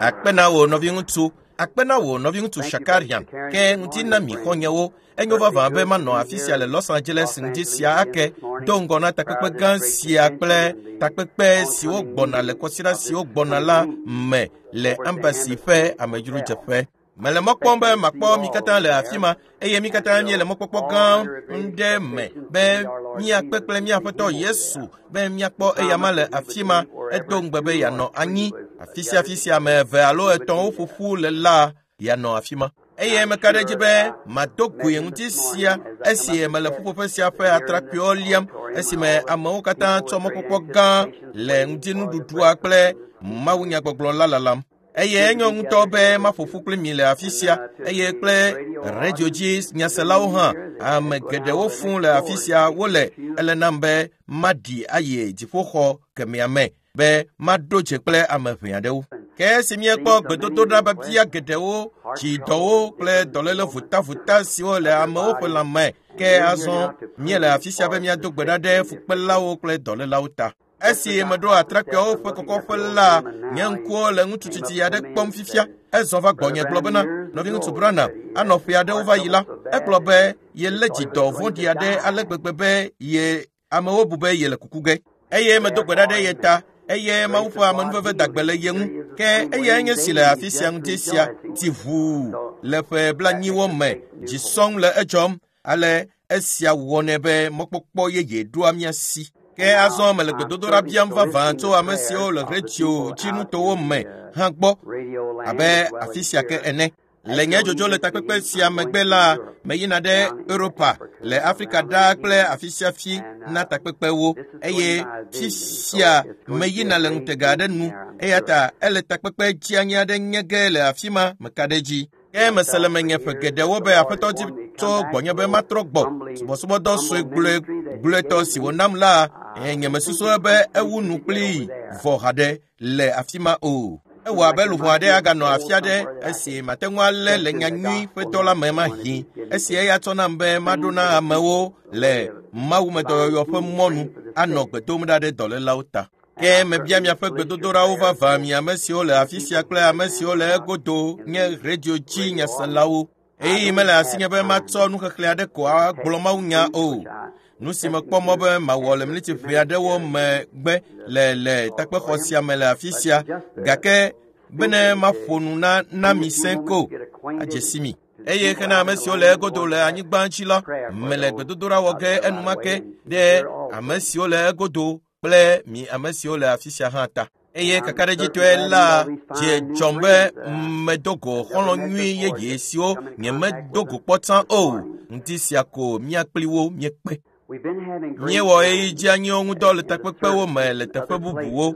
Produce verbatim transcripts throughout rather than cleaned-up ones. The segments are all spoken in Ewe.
Akpe na wò nɔviŋutsu, akpe na wò nɔviŋutsu Shakarian, ke ŋuti na mi xɔ̃nyewo. Enyo vavã be manɔ afi sia le Los Angeles ŋdi sia ake do ŋgɔ na takpekpe gã sia kple takpekpe siwo gbɔna le kɔsiɖa siwo gbɔna la me le Embassy ƒe amedzrodzeƒe. Mele mɔ kpɔm be makpɔ mi katã le afi ma eye mi katã míele mɔkpɔkpɔ gã ŋɖe me be míakpe kple mía Aƒetɔ Yesu be míakpɔ eyama le afi ma. Edo ŋugbe be yeanɔ anyi afi sia afi sia ame eve alo etɔ̃wo ƒoƒu le la yeanɔ afi ma. Eye meka ɖe edzi be mado goe ŋuti sia esi mele ƒuƒoƒe sia ƒe atrakpuiwo liam esime amewo katã tsɔ mɔkpɔkpɔ gã le ŋutinuɖuɖua kple mawunyagbɔgblɔ la lalam. Eye enyo ŋutɔ be maƒo ƒu kpli mi le afi sia eye kple radio dzi nyaselawo hã. Ame geɖewo fũ le afi sia wole ele nam be maɖi ayi dziƒoxɔ kemɛa me be maɖo dze kple ame ʋɛ aɖewo. Ke esi míekpɔ gbedodoɖa biabia geɖewo, dzidɔwo kple dɔléle votavota siwo le amewo ƒe lãme, ke azɔ míele afi sia be míado gbe ɖa ɖe fukpelawo kple dɔlélawo ta. Esi meɖo atrakpuiawo ƒe kɔkɔƒe la, nye ŋkuwo le ŋutsu tsitsi aɖe kpɔm fifia. Ezɔ va gbɔnye gblɔ bena, nɔviŋutsu Branham, anɔ ƒe aɖewo va yi la, egblɔ be yelé dzidɔ vɔ̃ɖi aɖe ale gbegbe be ye amewo bu be yele kuku ge. Eye medo gbe ɖa ɖe ye ta eye Mawu ƒe amenuveve dagbe le ye ŋu. Ke eyae nye si le afi sia ŋuti sia ti ʋuu le ƒe blanyiwo me, dzi sɔŋ le edzɔm. Ale esia wɔnɛ be mɔkpɔkpɔ yeye ɖoa mía si. Ke azɔ mele gbedodoɖa biam vavã tso ame siwo le radio dzinutowo me hã gbɔ abe afi sia ke ene. Le nye dzodzo le takpekpe sia megbe la, meyina ɖe Europa le Afrika ɖaa kple afi sia fi na takpekpewo eye fisia meyina le ŋutega aɖe nu eya ta ele takpekpe dzianyi aɖe nye ge le afi ma meka ɖe edzi. Ke mese le menye ƒe geɖewo be Aƒetɔ dzi tso gbɔnye be matrɔ gbɔ. Subɔsubɔdɔ sue gblɔe gblɔetɔ si wònam la, nye mesusu be ewu nu kplii vɔ haɖe le afi ma o. Ewɔ abe luʋɔ aɖe aganɔ afi aɖe esi mate ŋu alé le nyanyui ƒe dɔ la me mahi. Esi eya tsɔ nam be maɖo na amewo le mawumedɔyɔyɔ ƒe mɔnu anɔ gbe dom ɖa ɖe dɔlélawo ta. Ke mebia miaƒe gbedodoɖawo vavã mi ame siwo le afi sia kple ame siwo le egodo nye radio dzi nyaselawo. Ɣeyiɣi mele asinye be matsɔ nuxexlẽ aɖe ko agblɔ mawunya o. Nu si mekpɔ mɔ be mawɔ le miniti ʋɛ aɖewo megbe le le takpexɔ sia me le afi sia gake bene maƒo nu na na mi sẽ ko adze si mi. Eye hena ame siwo le egodo le anyigba dzi la, mele gbedodoɖa wɔ ge enumake ɖe ame siwo le egodo kple mi ame siwo le afi sia hã ta. Eye kakaɖedzitɔe la, dzi dzɔm be medo go xɔlɔ̃ nyui yeye siwo nyemedo go kpɔ tsã o. Ŋdi sia ko mía kpli wo míekpe. Míewɔ ɣeyiɣi dzeanyiwo ŋudɔ le takpekpewo me le teƒe bubuwo.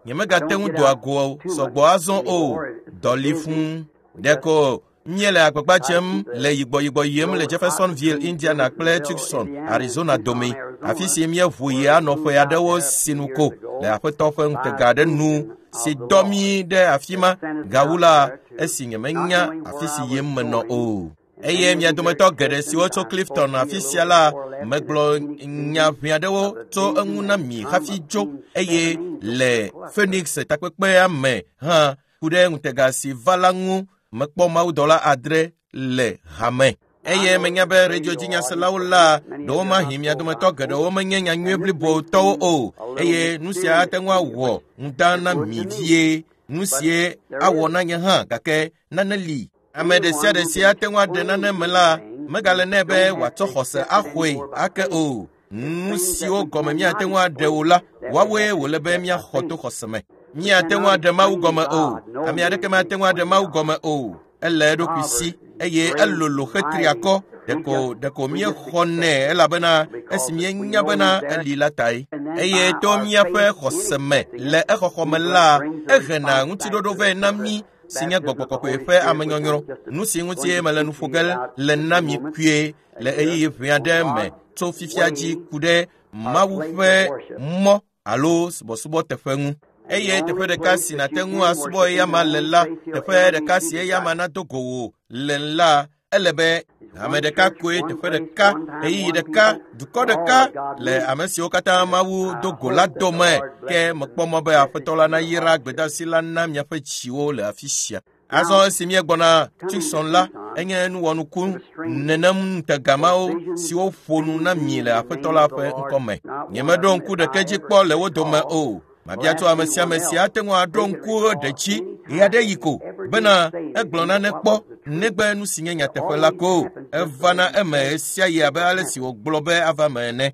Nyemegate ŋu doa go sɔgbɔ azɔ o. Dɔ li fũu. Ɖeko míele agbagba dzem le yigbɔyigbɔ yim le Jeffersonville, Indiana kple Tucson, Arizona dome, afi si míeʋu yi anɔ ƒe aɖewo sinu ko le Aƒetɔ ƒe ŋutega aɖe nu si dɔ mí ɖe afi ma. Gawu la, esi nyemenya afi si yim menɔ o. Eye mia dometɔ geɖe siwo tso Clifton afi sia la, megblɔ nya ʋɛ aɖewo tso eŋu na mi hafi dzo eye le Phoenix takpekpea me hã ku ɖe ŋutega si va la ŋu mekpɔ mawudɔla adre le hame. Eye menya be radio dzi nyaselawo la, ɖewomahi mia dometɔ geɖewo menye nyanyui blibotɔwo o eye nu sia ate ŋu awɔ ŋuda na mi vie. Nu sie awɔ na nye hã gake nane li. Ame ɖe sia ɖe si ate ŋu aɖe nane me la, megale nɛ be wòatsɔ xɔse axɔe ake o. Nu siwo gɔme míate ŋu aɖe o la, woawoe wòle be míaxɔ to xɔse me. Míate ŋu aɖe Mawu gɔme o. Ame aɖeke mate ŋu aɖe Mawu gɔme o. Ele eɖokui si eye elolo hetri akɔ. Ɖeko ɖeko míexɔnɛ elabena esi míenya bena eli la tae. Eye to míaƒe xɔse me le exɔxɔ me la, ehena ŋutiɖoɖo vɛ na mí si nye gbɔgbɔ kɔkɔe ƒe amenyɔnyrɔ. Nu si ŋuti mele nu ƒo ge le na mi kpuie le ɣeyiɣi ʋɛ aɖe me tso fifia dzi ku ɖe Mawu ƒe mɔ alo subɔsubɔteƒe ŋu. Eye teƒe ɖeka si nàte ŋu asubɔ eyama le la, teƒe ɖeka si eyama nado go wò le la, ele be Ame ɖeka koe, teƒe ɖeka, ɣeyiɣi ɖeka, dukɔ ɖeka le ame siwo katã Mawu do go la dome. Ke mekpɔ mɔ be Aƒetɔ la nayra gbedeasi la na miaƒe dziwo le afi sia. Azɔ esi míegbɔna Tucson la, enye nuwɔnuku nenem ŋutegamawo siwo ƒo nu na mi le Aƒetɔ la ƒe ŋkɔme. Nyemeɖo ŋku ɖeke dzi kpɔ le wo dome o. Mabia tso ame sia ame si ate ŋu aɖo ŋku ɖe dzi ɣeaɖeɣi ko bena egblɔ nane kpɔ negbe nu si nye nyateƒe la ko. Evana eme ɣesiaɣi abe ale si wògblɔ be ava eme ene.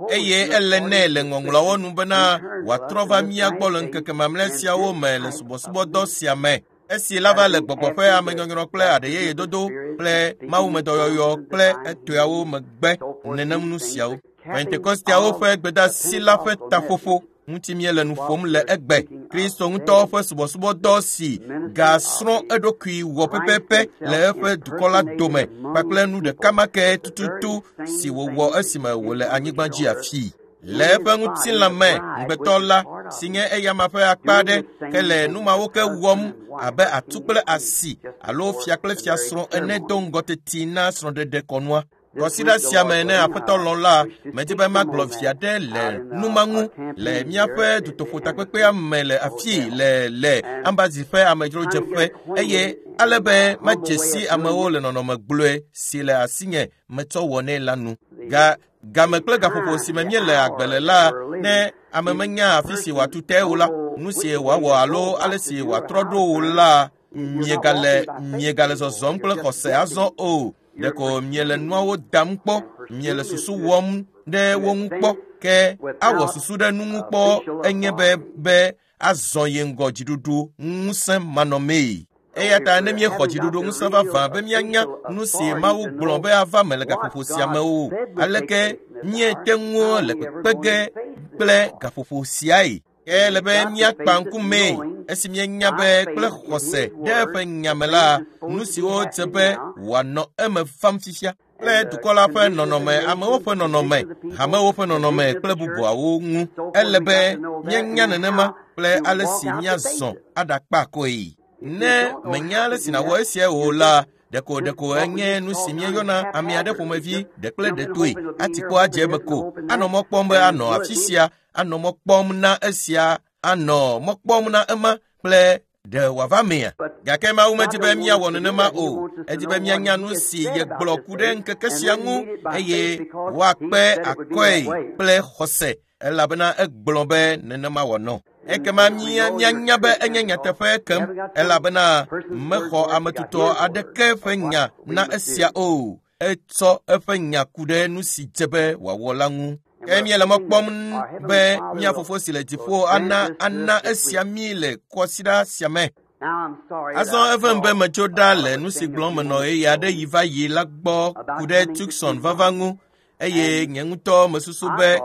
Eye ele nɛ le ŋɔŋlɔawo nu bena wòatrɔ va mía gbɔ le ŋkeke mamlɛ siawo me le subɔsubɔdɔ sia me. Esi la va le gbɔgbɔ ƒe amenyɔnyrɔ kple aɖeyeyedodo kple mawumedɔyɔyɔ kple etɔeawo megbe nenem nu siawo. Pentekosteawo ƒe gbedeasi la ƒe taƒoƒo ŋuti míele nu ƒom le egbe. Kristo ŋutɔ ƒe subɔsubɔdɔ si gasrɔ̃ eɖokui wɔ pɛpɛpɛ le eƒe dukɔ la dome kpakple nu ɖeka ma ke tututu si wòwɔ esime wòle anyigba dzi afii. Le eƒe ŋutilã me, ŋugbetɔ la, si nye eyama ƒe akpa aɖe, ke le nu mawo ke wɔm abe atu kple asi alo fia kple fiasrɔ̃ ene do ŋgɔ teti na srɔ̃ɖeɖe kɔnua. Kɔsiɖa sia me ne Aƒetɔ lɔ̃ la, medi be magblɔ vi aɖe le nu ma ŋu le míaƒe dutoƒotakpekpea me le afii le le Ambazi ƒe amedzrodzeƒe eye ale be madze si amewo le nɔnɔme gblɔe si le asinye metsɔ wɔnɛ la nu. Ga game kple gaƒoƒo si me míele agbe le la, ne ame menya afi si wòatu te o la, nu si wòawɔ alo ale si wòatrɔ ɖo o la, miegale miegale zɔzɔm kple xɔse azɔ o. Ɖeko miele nuawo dam kpɔ, miele susu wɔm ɖe wo ŋu kpɔ, ke awɔ susu ɖe nu ŋu kpɔ enye be be azɔ ye ŋgɔ dziɖuɖu ŋusẽ manɔmee. Eya ta ne míexɔ dziɖuɖu ŋusẽ vavã be míanya nu si Mawu gblɔ be ava me le gaƒoƒo sia me o, aleke míete ŋu le kpekpe ge kple gaƒoƒo siae? Ke ele be míakpa ŋkumee esi míenya be kple xɔse ɖe eƒe nya me la, nu siwo dze be wòanɔ eme vam fifia kple dukɔ la ƒe nɔnɔme, amewo ƒe nɔnɔme, hamewo ƒe nɔnɔme kple bubuawo ŋu. Ele be míanya nenema kple ale si míazɔ aɖakpa koe. Ne menya ale si nàwɔ esia o la, ɖeko ɖeko enye nu si míeyɔna ame aɖe ƒomevi ɖe kple ɖetoe ati kpɔ adze eme ko. Anɔ mɔ kpɔm be anɔ afi sia, anɔ mɔ kpɔm na esia, anɔ mɔ kpɔm na ema kple ɖe wòava mea. Gake Mawu medi be míawɔ nenema o. Edi be míanya nu si yegblɔ ku ɖe ŋkeke sia ŋu eye woakpe akɔe kple xɔse elabena egblɔ be nenema wòanɔ. Ekema mía míanya be enye nyateƒe kem elabena mexɔ ame tutɔ aɖeke ƒe nya na esia o. Etsɔ eƒe nya ku ɖe nu si dze be wòawɔ la ŋu. Ke míele mɔ kpɔm be mía fofo si le dziƒo ana ana esia mí le kɔsiɖa sia me. Azɔ evem be metso ɖa le nu si gblɔm menɔ ɣeyiɣi aɖe yi va yi la gbɔ ku ɖe Tucson vava ŋu eye nye ŋutɔ mesusu be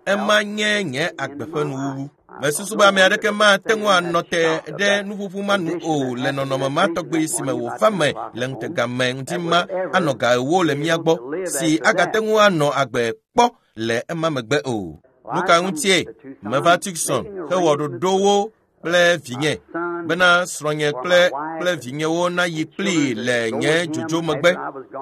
ema nye nye agbe ƒe nuwuwu. Mesusu be ame aɖeke mate ŋu anɔ te ɖe nuƒuƒu ma nu o le nɔnɔme ma tɔgbe si me wòva me le ŋutega me ŋuti ma anɔ ga ewo le mía gbɔ si agate ŋu anɔ agbe kpɔ le ema megbe o. Nu ka ŋutie meva Tucson hewɔ ɖoɖowo kple vinye bena srɔ̃nye kple kple vinyewo nayi kplii le nye dzodzo megbe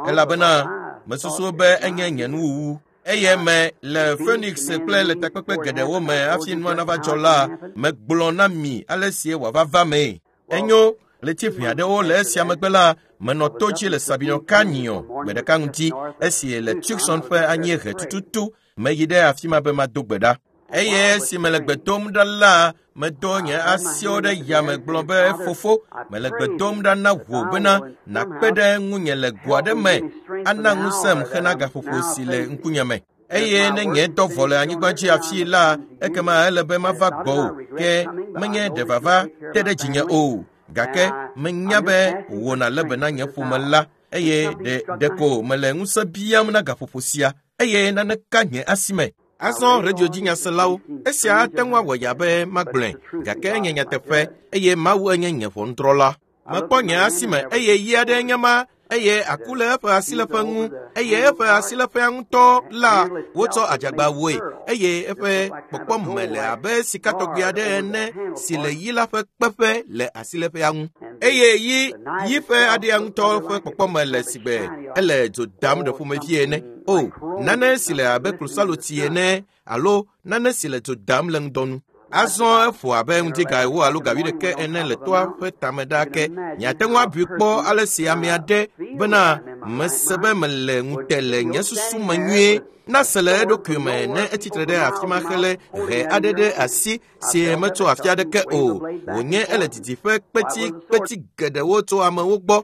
elabena mesusu be enye nye nuwuwu. Eye me le Phoenix kple le takpekpe geɖewo me hafi nua nava dzɔ la, megblɔ na mi ale si wòava va mee. Enyo ɣleti ʋɛ aɖewo le esia megbe la, menɔ to dzi le Sabino Canyon gbe ɖeka ŋuti esi le Tucson ƒe anyiehe tututu meyi ɖe afi ma be mado gbe ɖa. Eye esi mele gbe dom ɖa la, medo nye asiwo ɖe yame gblɔ be fofo, mele gbe dom ɖa na wò bena nàkpe ɖe ŋunye le go aɖe me, ana ŋusẽm hena gaƒoƒo si le ŋkunye me. Eye ne nye dɔ vɔ le anyigba dzi afii la, ekema ele be mava gbɔwò, ke menye ɖe vava te ɖe dzinye o. Gake menya be wò nàlé be na nye ƒome la, eye ɖe ɖeko mele ŋusẽ biam na gaƒoƒo sia, eye nane ka nye asi me. Azɔ radio dzinyaselawo, esia ate ŋu awɔ ya be magblɔe, gake enye nyateƒe eye Mawu enye nye ʋɔnudrɔ̃la. Mekpɔ nye asi me eye yi aɖe nye ma eye aku le eƒe asileƒe ŋu eye eƒe asileƒea ŋutɔ la wotsɔ adzagba woe eye eƒe kpɔkpɔme le abe sikatɔgbi aɖe ene si le yi la ƒe kpeƒe le asileƒea ŋu eye yi yi ƒe aɖea ŋutɔ ƒe kpɔkpɔme le sigbe ele dzo dam ɖe ƒomevi ene o nane si le abe klosalotsi ene alo nane si le dzo dam le ŋdɔnu. Azɔ eƒo abe ŋdi ga ewo alo ga wuiɖeke ene le toa ƒe tame ɖaa ke. Miate ŋu abui kpɔ ale si ame aɖe bena mese be mele ŋute le nye susu me nyuie nase le eɖokui me ne etsitre ɖe afi ma hele he aɖe ɖe asi si metso afi aɖeke o. Wònye ele didiƒe kpetikpeti geɖewo tso amewo gbɔ.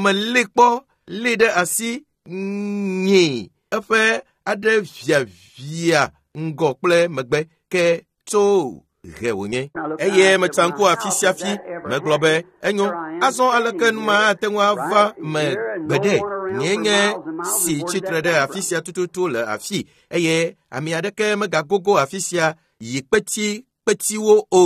Meli kpɔ lée ɖe asi nyi eƒe aɖe viavia ŋgɔ kple megbe ke tso he wònye. Eye metsa ŋku afi sia fi megblɔ be enyo azɔ aleke nu ma ate ŋu ava me gbeɖe nye nye si tsitre ɖe afi sia tututu le afi eye ame aɖeke megagogo afi sia yi kpeti kpetiwo o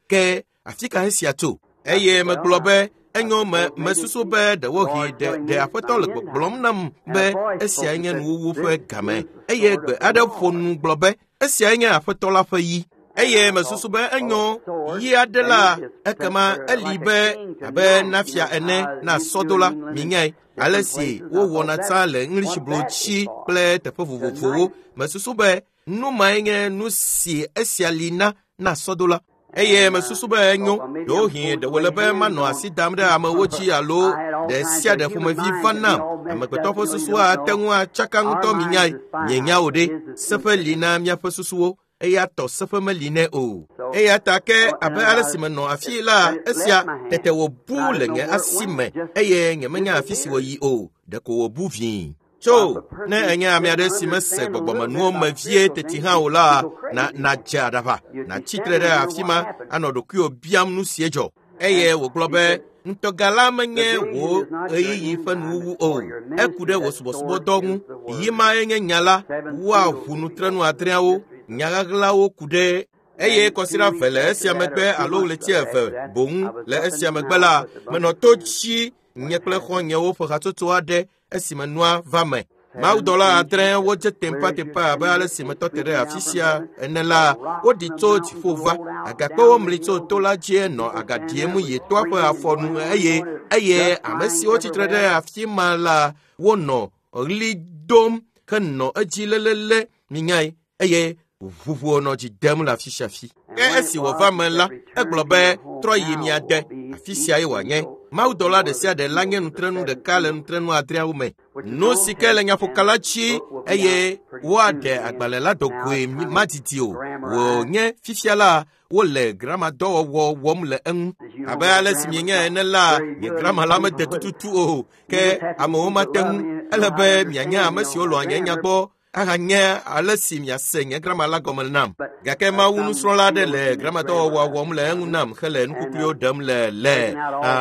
ke afi ka esia tso? Eye megblɔ be enyo me mesusu be ɖewohĩ ɖe ɖe aƒetɔ le gbɔgblɔm nam be esiae nye nuwuwu ƒe game eye gbe aɖe ƒo nu gblɔ be esiae nye aƒetɔ la ƒe yi. Eye mesusu be enyo yi aɖe la ekema eli be abe nafia ene na sɔdola minyae ale si wowɔna tsã le English blotsi kple teƒe vovovowo. Mesusu be nu mae nye nu si esia li na na sɔdola. Eye mesusu be enyo ɖewohĩ ɖe wòle be manɔ asi dam ɖe amewo dzi alo ɖe sia ɖe ƒomevi va nam. Amegbetɔ ƒe susua ate ŋu atsaka ŋutɔ minyae. Mienya o ɖe seƒe li na míaƒe susuwo eya tɔ seƒe meli nɛ o. Eya ta ke abe ale si menɔ afi la esia tete wòbu le nye asi me eye nyemenya afi si wòyi o ɖeko wòbu vĩi. Tso ne enye ame aɖe si mese gbɔgbɔmenuwo me vie teti hã o la na nadze aɖaʋa natsitre ɖe afi ma anɔ ɖokuiwò biam nu sie dzɔ. Eye wògblɔ be ŋutɔga la menye wò ɣeyiɣi ƒe nuwuwu o eku ɖe wò subɔsubɔdɔ ŋu. Yi mae nye nya la woaʋu nutrenu adreawo nyaɣaɣlawo ku ɖe eye kɔsiɖa eve le esia megbe alo ɣleti eve boŋ le esia megbe la menɔ to dzi nye kple xɔ̃nyewo ƒe hatsotso aɖe esime nua va me. Mawudɔla adre wodze teƒeteƒe abe ale si metɔ te ɖe afi sia ene la woɖi tso dziƒo va. Agakpewo mli tso to la dzi nɔ aga ɖiem yi toa ƒe afɔnu eye eye ame siwo tsitre ɖe afi ma la wonɔ ɣli dom henɔ edzi lelele minyae eye ʋuʋuwo nɔ dzi dem le afi sia afi. Ke esi wòva me la egblɔ be trɔ yi mia de afi sia ye wòanye. Mawudɔla ɖe sia ɖe la nye nutrenu ɖeka le nutrenu adreawo me. Nu si ke le nyaƒokala dzi eye woaɖe agbalẽ la dogoe madidi o. Wònye fifia la wole gramadɔwɔwɔ wɔm le eŋu. Abe ale si mienya ene la nye grama la mede tututu o ke amewo mate ŋu. Ele be mianye ame siwo lɔ̃a nye nya gbɔ ahanye ale si miase nye grama la gɔme nam. Gake Mawu nusrɔ̃la aɖe le gramadɔwɔwɔa wɔm le eŋu nam hele nukukluiwo ɖem le le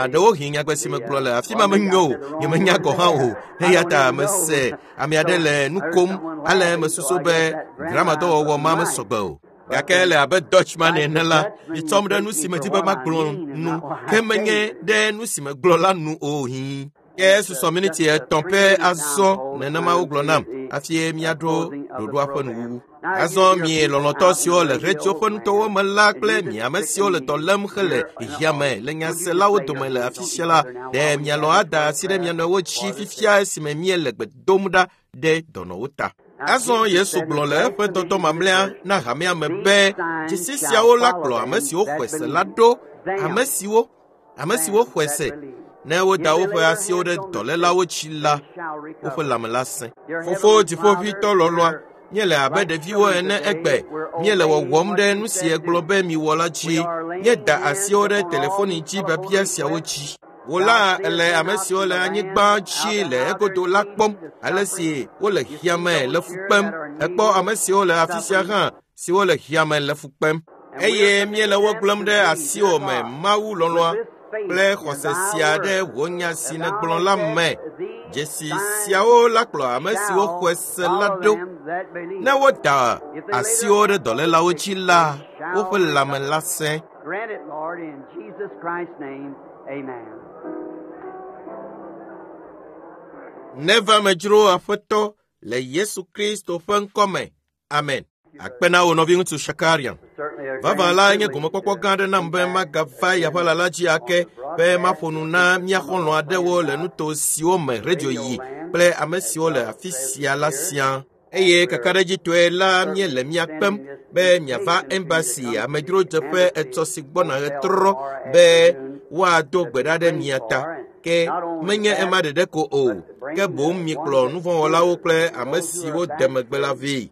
ɖewohĩ nyagbe si megblɔ le afi ma menyo o nyemenya gɔ̃ hã o eya ta mese ame aɖe le nu kom ale mesusu be gramadɔwɔwɔ ma mesɔgbe o. Gake le abe Dutchman ene la mitsɔm ɖe nu si medi be magblɔ nu ke menye ɖe nu si megblɔ la nu o hĩ. Ke susɔ miniti etɔ̃ pɛ azɔ nenema wogblɔ nam hafi míaɖo ɖoɖoa ƒe nuwuwu. Azɔ mi lɔlɔ̃tɔ siwo le ɣletiwo ƒe nutowo me la kple mi ame siwo le dɔ lém hele xexea me le nyaselawo dome le afi sia la ɖe mialɔ̃ ada asi ɖe mia nɔewo dzi fifia esime míele gbe dom ɖa ɖe dɔnɔwo ta. Azɔ Yesu gblɔ le eƒe dɔdɔ mamlɛa na hamea me be dzesi siawo la kplɔ ame siwo xɔe se la ɖo ame siwo ame siwo xɔe se ne woda woƒe asiwo ɖe dɔlélawo dzi la woƒe lãme la sẽ. Fofo dziƒoʋĩtɔ lɔlɔ̃a míele abe ɖeviwo ene egbe míele wɔwɔm ɖe nu si egblɔ be miwɔ la dzi. Míeda asiwo ɖe telefoni dzi biabia siawo dzi. Wò la ele ame siwo le anyigba dzi le egodo la kpɔm ale si wole xexea me le fu kpem. Ekpɔ ame siwo le afi sia hã siwo le xexea me le fu kpem eye míele wo gblẽm ɖe asiwò me Mawu lɔlɔ̃a kple xɔse sia ɖe wò nya si nègblɔ la me. Dzesi siawo la kplɔ ame siwo xɔe se la ɖo. Ne woda asiwo ɖe dɔlélawo dzi la woƒe lãme la sẽ. Grant it, Lord, in Jesus Christ's name, amen. Neva medzro Aƒetɔ le Yesu Kristo ƒe ŋkɔme. Amen. Akpe na wò nɔviŋutsu Shakarian. Vavã la nye gomekpɔkpɔ gã aɖe nam be magava yaƒe la dzi ake be maƒo nu na mía xɔlɔ̃ aɖewo le nuto siwo me redio yi kple ame siwo le afi sia la siaa. Eye kakaɖedzitɔe la míele mía kpem be miava embassy amedzrodzeƒe etɔ si gbɔna ɣetrɔ be woado gbe ɖa ɖe mia ta. Ke menye ema ɖeɖe ko o, ke boŋ mikplɔ nuvɔ̃wɔlawo kple ame siwo de megbe la vɛ.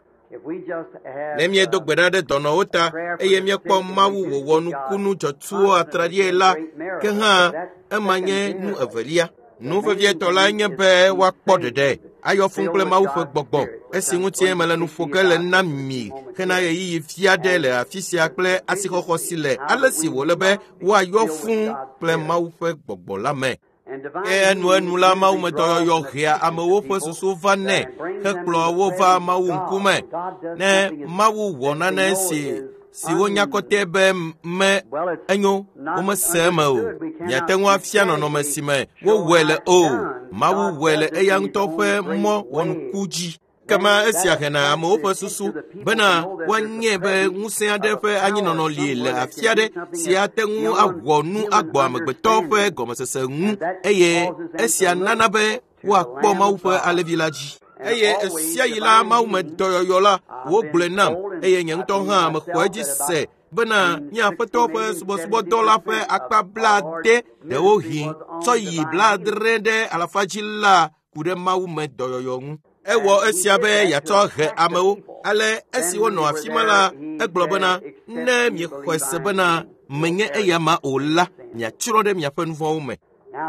Ne míedo gbe ɖa ɖe dɔnɔwo ta eye míekpɔ Mawu wòwɔ nukunu dzɔtsuwo atraɖie la, ke hã ema nye nu evelia. Nu vevietɔ la nye be woakpɔ ɖeɖe, ayɔ fũu kple Mawu ƒe gbɔgbɔ, esi ŋutie mele nu ƒo ge le na mi hena ɣeyiɣi vi aɖe le afi sia kple asixɔxɔ si le ale si wòle be woayɔ fũu kple Mawu ƒe gbɔgbɔ la me. Ke enuenu la mawumedɔyɔyɔ hea amewo ƒe susu va nɛ hekplɔ wo va Mawu ŋkume. Ne Mawu wɔ nane si si wonya kɔtɛ be me enyo, womese eme o. Miate ŋu afia nɔnɔme si me wowɔe le o. Mawu wɔe le eya ŋutɔ ƒe mɔ wɔnuku dzi. Kema esia hena amewo ƒe susu bena woanye be ŋusẽ aɖe ƒe anyinɔnɔ li le afi aɖe si ate ŋu awɔ nu agbɔ amegbetɔ ƒe gɔmesese ŋu eye esia nana be woakpɔ Mawu ƒe alẽvi la dzi. Eye esia yi la mawumedɔyɔyɔ la wogblɔe nam eye nye ŋutɔ hã mexɔ edzi se bena nye Aƒetɔ ƒe subɔsubɔdɔ la ƒe akpa blaade ɖewohĩ tsɔ yi blaadre ɖe alafa dzi la ku ɖe mawumedɔyɔyɔ ŋu. Ewɔ esia be yeatsɔ he amewo. Ale esi wonɔ afi ma la, egblɔ bena, ne miexɔe se bena menye eyama o la, miatsrɔ̃ ɖe miaƒe nu vɔ̃wo me.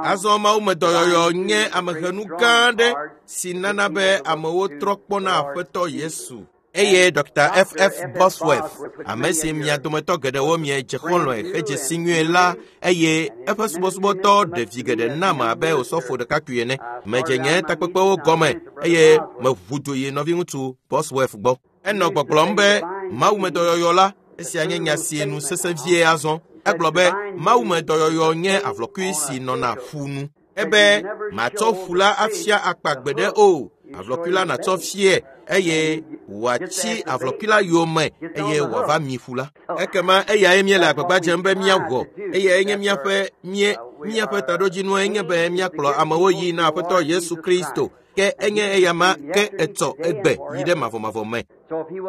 Azɔ mawumedɔyɔyɔ nye amehenu gã aɖe si nana be amewo trɔ kpɔna Aƒetɔ Yesu. Eye Dr. F F Bosworth, ame si mia dometɔ geɖewo miedze xɔlɔ̃e hedze si nyuie la, eye eƒe subɔsubɔdɔ ɖe vi geɖe nam abe osɔfo ɖekakpui ene. Medze nye takpekpewo gɔme eye meʋu dzo yi nɔviŋutsu Bosworth gbɔ. Enɔ gbɔgblɔm be mawumedɔyɔyɔ la, esia nye nya si nu sesẽ vie azɔ. Egblɔ be mawumedɔyɔyɔ nye avlɔkui si nɔna ƒu nu. Ebe matsɔ ƒu la afia akpa gbeɖe o. Avlɔkui la natsɔ fie eye wòatsi avlɔkui la yome eye wòava mi ƒu la. Ekema eyae míele agbagba dzem be míawɔ eye enye míaƒe mie míaƒe taɖodzinue nye be míakplɔ amewo yi na Aƒetɔ Yesu Kristo. Ke enye eyama ke etsɔ egbe yi ɖe mavɔmavɔ me.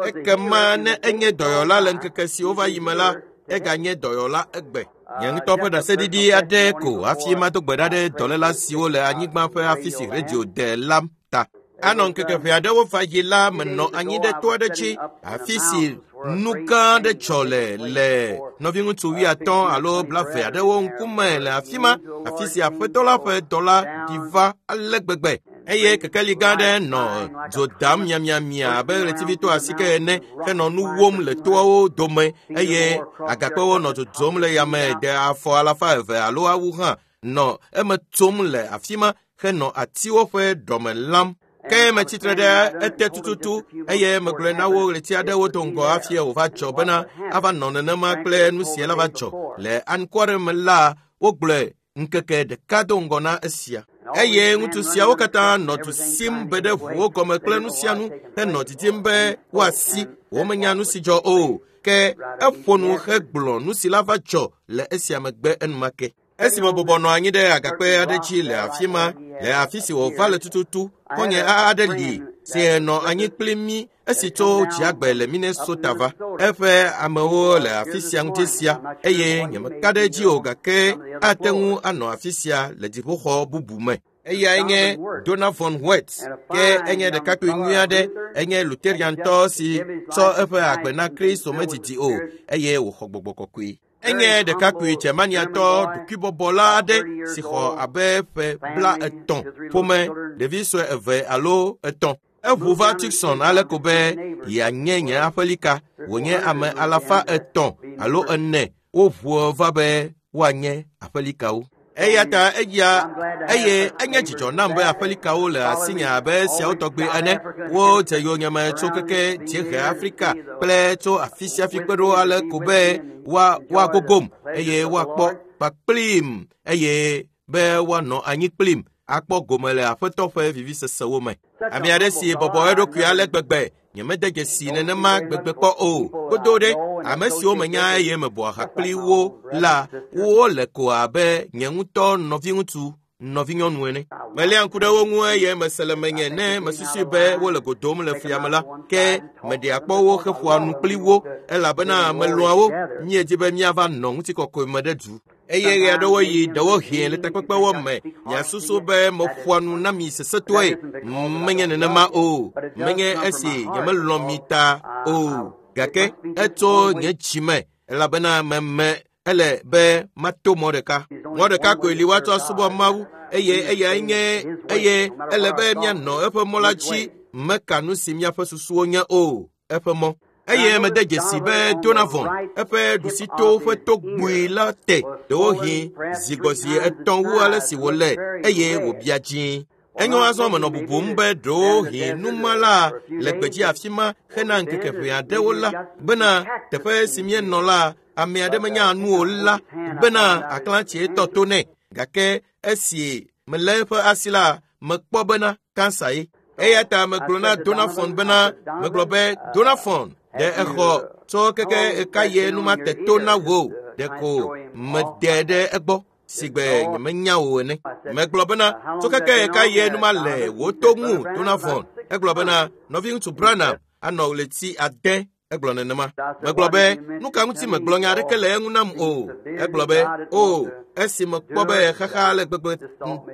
Ekema ne enye dɔyɔla le ŋkeke siwo va yi me la, eganye dɔyɔla egbe. Nye ŋutɔ ƒe ɖaseɖiɖi aɖe ko hafi mado gbe ɖa ɖe dɔléla siwo le anyigba ƒe afi si redio de la ta. Anɔ ŋkeke ʋɛ aɖewo va yi la menɔ anyi ɖe to aɖe dzi afi si nu gã aɖe dzɔ le le nɔviŋutsu wuiatɔ̃ alo blaeve aɖewo ŋkume le afi ma, afi si Aƒetɔ la ƒe dɔla ɖi va ale gbegbe. Eye kekeli gã aɖe nɔ dzo dam miamiamia abe ɣletivito asike ene henɔ nu wom le toawo dome eye agakpewo nɔ dzodzom le yame de afɔ alafa eve alo awu hã nɔ eme tsom le afi ma henɔ atiwo ƒe ɖɔme lam. Ke metsitre ɖe ete tututu eye megblɔe na wo ɣleti aɖewo do ŋgɔ hafi wòva dzɔ bena ava nɔ nenema kple nu sia la va dzɔ. Le anukware me la, wogblɔe ŋkeke ɖeka do ŋgɔ na esia. Eye ŋutsu siawo katã nɔ du sim be ɖe ʋuwo gɔme kple nu sia nu henɔ didim be woasi. Womenya nu si dzɔ o. Ke eƒo nu hegblɔ nu si la va dzɔ le esia megbe enumake. Esime bɔbɔ nɔ anyi ɖe agakpe aɖe dzi le afi ma, le afi si wòva le tututu, xɔ̃nye aɖe li si nɔ anyi kpli mí esi tso dziagbe le Minnesota va. Eƒe amewo le afi sia ŋuti sia eye nyemeka ɖe edzi o gake ate ŋu anɔ afi sia le dziƒoxɔ bubu me. Eyae nye Donavon White, ke enye ɖekakpui nyui aɖe, enye Lutheriantɔ si tsɔ eƒe agbe na Kristo medidi o eye wòxɔ gbɔgbɔ kɔkɔe. Enye ɖekakpui Germaniatɔ ɖokuibɔbɔla aɖe si xɔ abe ƒe bla etɔ̃, ƒome, ɖevi sue eve alo etɔ̃. Eʋu va Tucson ale ko be yeanye nye aƒelika, wònye ame alafa etɔ̃ alo ene woʋu va be woanye aƒelikawo. Eya ta eya eye enye dzidzɔ nam be aƒelikawo le asinye abe esiawo tɔgbe ene. Wodze yonyeme tso keke dziehe Afrika kple tso afi sia afi kpe ɖo ale ko be woa woagogom eye woakpɔ kpakplim eye be woanɔ anyi kplim Akpɔ gome le aƒetɔ ƒe vivisesewo me. Ame aɖe si bɔbɔ eɖokui ale gbegbe nyemede dzesi nenema gbegbe kpɔ o. Godo ɖe ame siwo menya eye mebɔa ha kpli wo la, wole ko abe nye ŋutɔ nɔviŋutsu nɔvinyɔnu ene. Meléa ŋku ɖe wo ŋu eye mese le menye ne mesusui be wole go dom le flia me la, ke meɖea kpɔ wo heƒoa nu kpli wo elabena melɔ̃a wo. Míedi be míava nɔ ŋutikɔkɔe me ɖe du. Eye ɣe aɖewo yi ɖewohĩ le takpekpewo me miasusu be meƒoa nu na mi sesẽtɔe. Menye nenema o. Menye esi nyemelɔ̃ mi ta o. Gake etso nye dzime elabena meme ele be mato mɔ ɖeka. Mɔ ɖeka koe li woatsɔ asubɔ Mawu eye eyae nye eye ele be míanɔ eƒe mɔ la dzi meka nu si míaƒe susuwo nye o. Eƒe mɔ. Eye mede dzesi be Donavon eƒe ɖusito ƒe togbui la te ɖewohĩ zigbɔzi etɔ̃ wu ale si wòle eye wòbia dzĩ. Enyo azɔ menɔ bubum be ɖewohĩ numala le gbedzi afi ma hena ŋkeke ʋɛ aɖewo la bena teƒe si míenɔ la ame aɖe menya nu o la bena aklãtsie tɔ to nɛ. Gake esi melé eƒe asi la mekpɔ bena kansa ye. Eya ta megblɔ na Donavon bena megblɔ be Donavon ɖe exɔ tso keke eka ye numa te to na wò ɖeko mede ɖe egbɔ sigbe nyemenya wò ene. Megblɔ bena tso keke eka ye numa le wò to ŋu Donavon. Egblɔ bena nɔviŋutsu Branham anɔ ɣleti ade. Egblɔ nenema. Megblɔ be nu ka ŋuti megblɔ nya aɖeke le eŋu nam o. Egblɔ be o esi mekpɔ be xaxa le gbegbe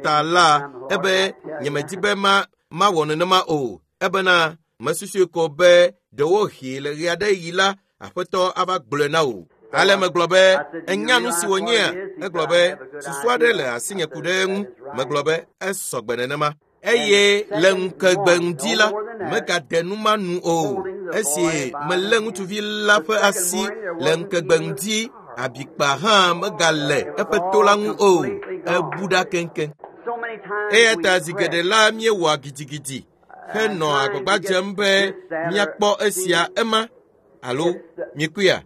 ta la ebe nyemedi be ma mawɔ nenema o. Ebena mesusui ko be ɖewohĩ le ɣe aɖe yi la aƒetɔ ava gblɔe na wò. Ale megblɔ be enya nu si wònyea. Egblɔ be susu aɖe le asinye ku ɖe eŋu. Megblɔ be esɔgbe nenema. Eye le ŋkegbe ŋdi la megade nu ma nu o. Esi melé ŋutsuvi la ƒe asi le ŋkegbe ŋdi abikpa hã megale eƒe to la ŋu o. Ebu ɖa keŋkeŋ. Eya ta zi geɖe la míewɔa gidigidi henɔ agbagba dzem be míakpɔ esia ema alo míekuia.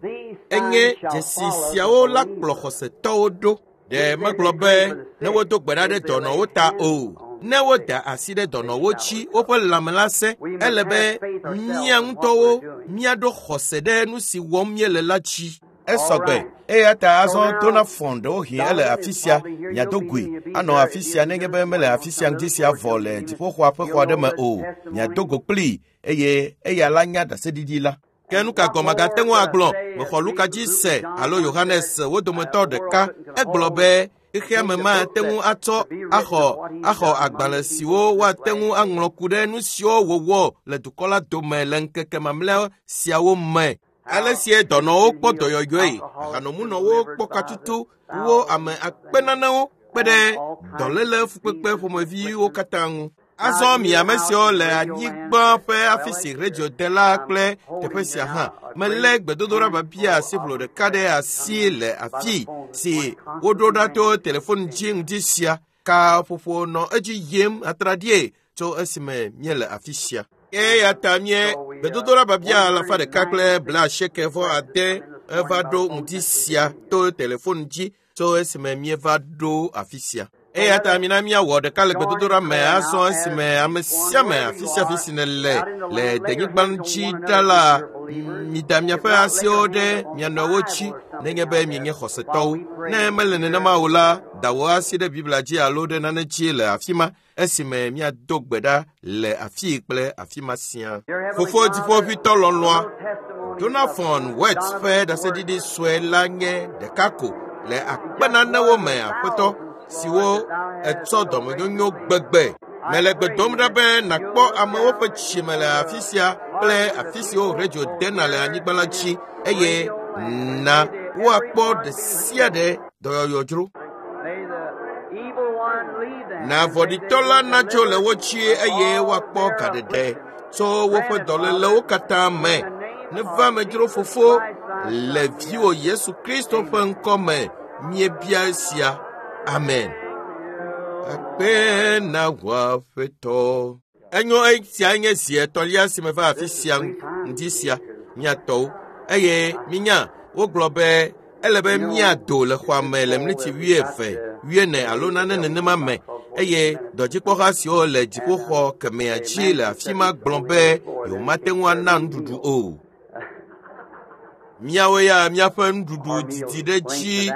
Enye dzesi siawo la kplɔ xɔsetɔwo ɖo. Ɖe megblɔ be ne wodo gbe ɖa ɖe dɔnɔwo ta o. Ne woda asi ɖe dɔnɔwo dzi woƒe lãme la sẽ, ele be mía ŋutɔwo míaɖo xɔse ɖe nu si wɔm míele la dzi. Esɔgbe. Eya ta azɔ Donavon ɖewohĩ ele afi sia miado goe anɔ afi sia nenye be mele afi sia ŋdi sia vɔ le dziƒoxɔa ƒe xɔ aɖe me o. Miado go kplii eye eya la nya ɖaseɖiɖi la. Ke nu ka gɔme agate ŋu agblɔ? Mexɔ Luka dzi se alo Yohanes wo dometɔ ɖeka. Egblɔ be xexea me mate ŋu atsɔ axɔ axɔ agbalẽ siwo woate ŋu aŋlɔ ku ɖe nu siwo wòwɔ le dukɔ la dome le ŋkeke mamlɛ siawo me. Ale sie dɔnɔwo kpɔ dɔyɔyɔe, ahanomunɔwo kpɔ katutu, wo ame akpe nanewo kpe ɖe dɔléle fukpekpe ƒomeviwo katã ŋu. Azɔ mi ame siwo le anyigba ƒe afi si radio de la kple teƒe sia hã, melé gbedodoɖa biabia asiʋlo ɖeka ɖe asi le afi si woɖo ɖa to telefon dzi ŋdi sia. Kaƒoƒo nɔ edzi yim atraɖie tso esime míele afi sia. Eya ta mie gbedodoɖa biabia alafa ɖeka kple blaasieke vɔ ade eva ɖo ŋdi sia to telefon dzi tso esime míeva ɖo afi sia. Eya ta mina míawɔ ɖeka le gbedodoɖa me azɔ esime ame sia ame afi sia afi si nèle le denyigba dzi ɖa la, mida miaƒe asiwo ɖe mia nɔewo dzi nenye be mienye xɔsetɔwo. Ne mele nenema o la, da wò asi ɖe Biblia dzi alo ɖe nane dzi le afi ma esime míado gbe ɖa le afii kple afi ma sia. Fofo dziƒoʋĩtɔ lɔlɔ̃a, Donavon Weerts ƒe ɖaseɖiɖi sue la nye ɖeka ko le akpe nanewo me aƒetɔ siwo etsɔ dɔmenyonyo gbegbe. Mele gbe dom ɖa be nàkpɔ amewo ƒe dzime le afi sia kple afi siwo radio dena le anyigba la dzi eye na woakpɔ ɖe sia ɖe dɔyɔyɔ dzro. Na vɔ̃ɖitɔ la natso le wo dzi eye woakpɔ gaɖeɖe tso woƒe dɔlélewo katã me. Neva medzro fofo le viwò Yesu Kristo ƒe ŋkɔ me míebia esia. Amen. Akpe na wò Aƒetɔ. Enyo esia nye zi etɔ̃lia si meva afi sia ŋdi sia míatɔwo eye minya wogblɔ be ele be míado le xɔa me le mliti wuieve, wuiene alo nane nenema me. eye dɔdzikpɔha siwo le dziƒoxɔ kemɛa dzi le afi ma gblɔ be yewomate ŋu ana nuɖuɖu o. Míawo ya míaƒe nuɖuɖu didi ɖe dzi,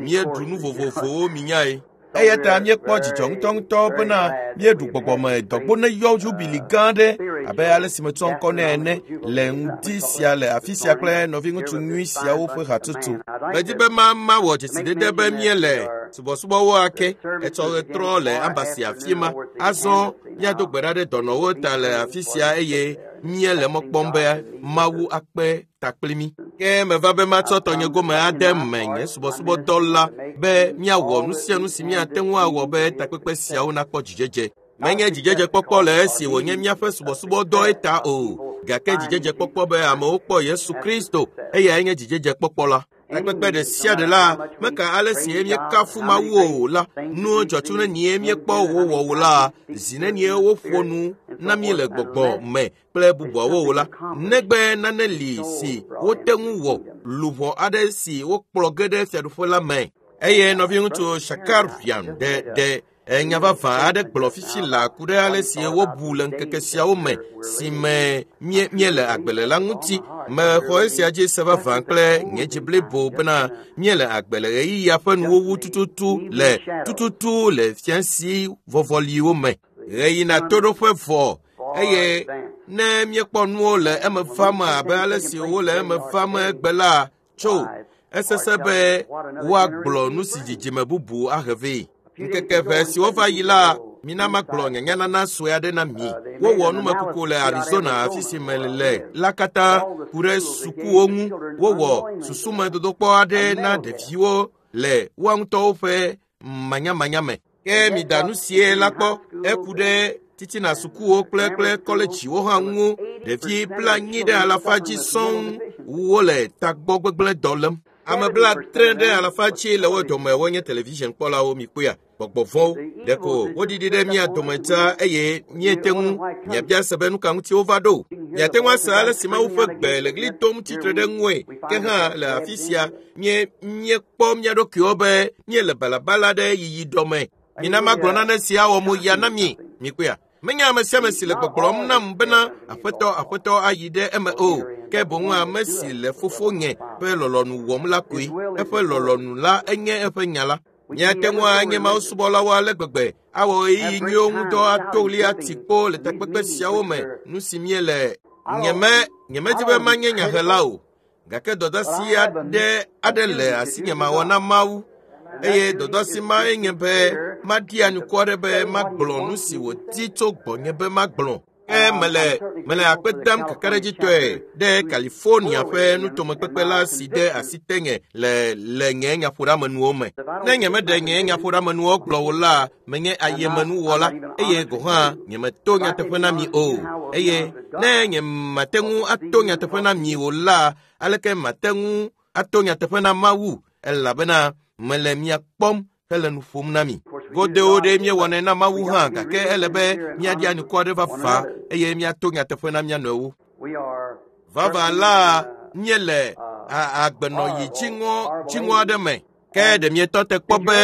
míeɖu nu vovovowo minyae. Eya ta míekpɔ dzidzɔ ŋutɔŋutɔ bena míeɖu gbɔgbɔme dɔgbo ne yɔ jubili gã aɖe abe ale si metsɔ ŋkɔ nɛ ene le ŋdi sia le afi sia kple nɔviŋutsu nyui siawo ƒe hatsotso. Medi be ma mawɔ dzesidede be míele subɔsubɔwo ake etsɔ ɣetrɔ le ambasi afi ma. Azɔ míado gbe ɖa ɖe dɔnɔwo ta le afi sia eye míele mɔ kpɔm be Mawu akpe ta kpli mí. Ke meva be matsɔ tɔnye gome ade me nye subɔsubɔdɔ la be míawɔ nu sia nu si míate ŋu awɔ be takpekpe siawo nakpɔ dzidzedze. Menye dzidzedzekpɔkpɔ le esi wònye míaƒe subɔsubɔdɔe ta o, gake dzidzedzekpɔkpɔ be amewo kpɔ Yesu Kristo, eyae nye dzidzedzekpɔkpɔ la. Takpekpe ɖe sia ɖe la, meka ale si míekafu Mawu o la, nuwo dzɔtso nenie míekpɔ wowɔ o la, zi nenie woƒo nu na mí le gbɔgbɔ me kple bubuawo o la, negbe nane li si wote ŋu wɔ luʋɔ aɖe si wokplɔ ge ɖe fiaɖuƒe la me. Eye nɔviŋutsu Shakarian ɖe ɖe enya vavã aɖe gblɔ fifi la ku ɖe ale si wobu le ŋkeke siawo me si me mie míele agbe le la ŋuti. Mexɔ esia dzi se vavã kple nye dzi blibo bena míele agbe le ɣeyiɣia ƒe nuwuwu tututu le tututu le fiasi vɔvɔliwo me. Ɣeyina toɖoƒe vɔ eye ne míekpɔ nuwo le eme vam abe ale si wole eme vam egbe la tso esese be woagblɔ nu si dzidzime bubu ahe vɛ. Ŋkeke ʋɛ siwo va yi la, mina magblɔ nyanyanana sue aɖe na mi. Wowɔ numekuku le Arizona afi si mele la katã ku ɖe sukuwo ŋu. Wowɔ susume dodokpɔ aɖe na ɖeviwo le woa ŋutɔwo ƒe manyamanya me. Ke mida nu sie la kpɔ eku ɖe titina sukuwo kple kple kɔledziwo hã ŋu. Ɖevi blanyi ɖe alafa dzi sɔŋ wole tagbɔ gbegblẽ dɔ lém. Ame blaadre ɖe alafa dzi le wo dome wonye television kpɔlawo mikpɔea gbɔgbɔ vɔ̃wo. Ɖeko woɖiɖi ɖe mía dome dzaa eye míete ŋu miabia se be nu ka ŋuti wova ɖo. Miate ŋu ase ale si Mawu ƒe gbe le ɣli dom tsitre ɖe ŋue. Ke hã le afi sia mie míekpɔ mía ɖokuiwo be míele balabala ɖe yiyi dɔme. Mina magblɔ nane si awɔ mo ya na mi. Mikpɔea? Menye ame sia ame si le gbɔgblɔm nam bena aƒetɔ aƒetɔ ayi ɖe eme o, ke boŋ ame si le fofonye ƒe lɔlɔ̃nu wɔm la koe. Eƒe lɔlɔ̃nu la enye eƒe nya la. Míate ŋu anye mawusubɔlawo ale gbegbe awɔ ɣeyiɣi nyuiwo ŋudɔ ato ɣli ati kpo le takpekpe siawo me nu si míele. Nyeme nyemedi be manye nyahela o, gake dɔdeasi aɖe aɖe le asinye mawɔ na Mawu. Eye dɔdeasi mae nye be maɖi anukua aɖe be magblɔ nu si wòdi tso gbɔnye be magblɔ. Ke mele mele akpe dam kakaɖedzitɔe ɖe California ƒe nutomekpekpe la si de asi tenye le le nye nyaƒoɖeamenuwo me. Ne nyemeɖe nye nyaƒoɖeamenuwo gblɔ o la, menye ayemenuwɔla eye gɔ̃ hã nyemeto nyateƒe na mi o. Eye ne nyemate ŋu ato nyateƒe na mi o la, aleke mate ŋu ato nyateƒe na Mawu? Elabena mele mia kpɔm hele nu ƒom na mi. Godewo ɖe míewɔnɛ na Mawu hã, gake ele be míaɖi anukua ɖe vavã eye míato nyateƒe na mía nɔewo. Vavã la, míele agbenɔyi dziŋɔ dziŋɔ aɖe me. Ke ɖe mietɔ te kpɔ be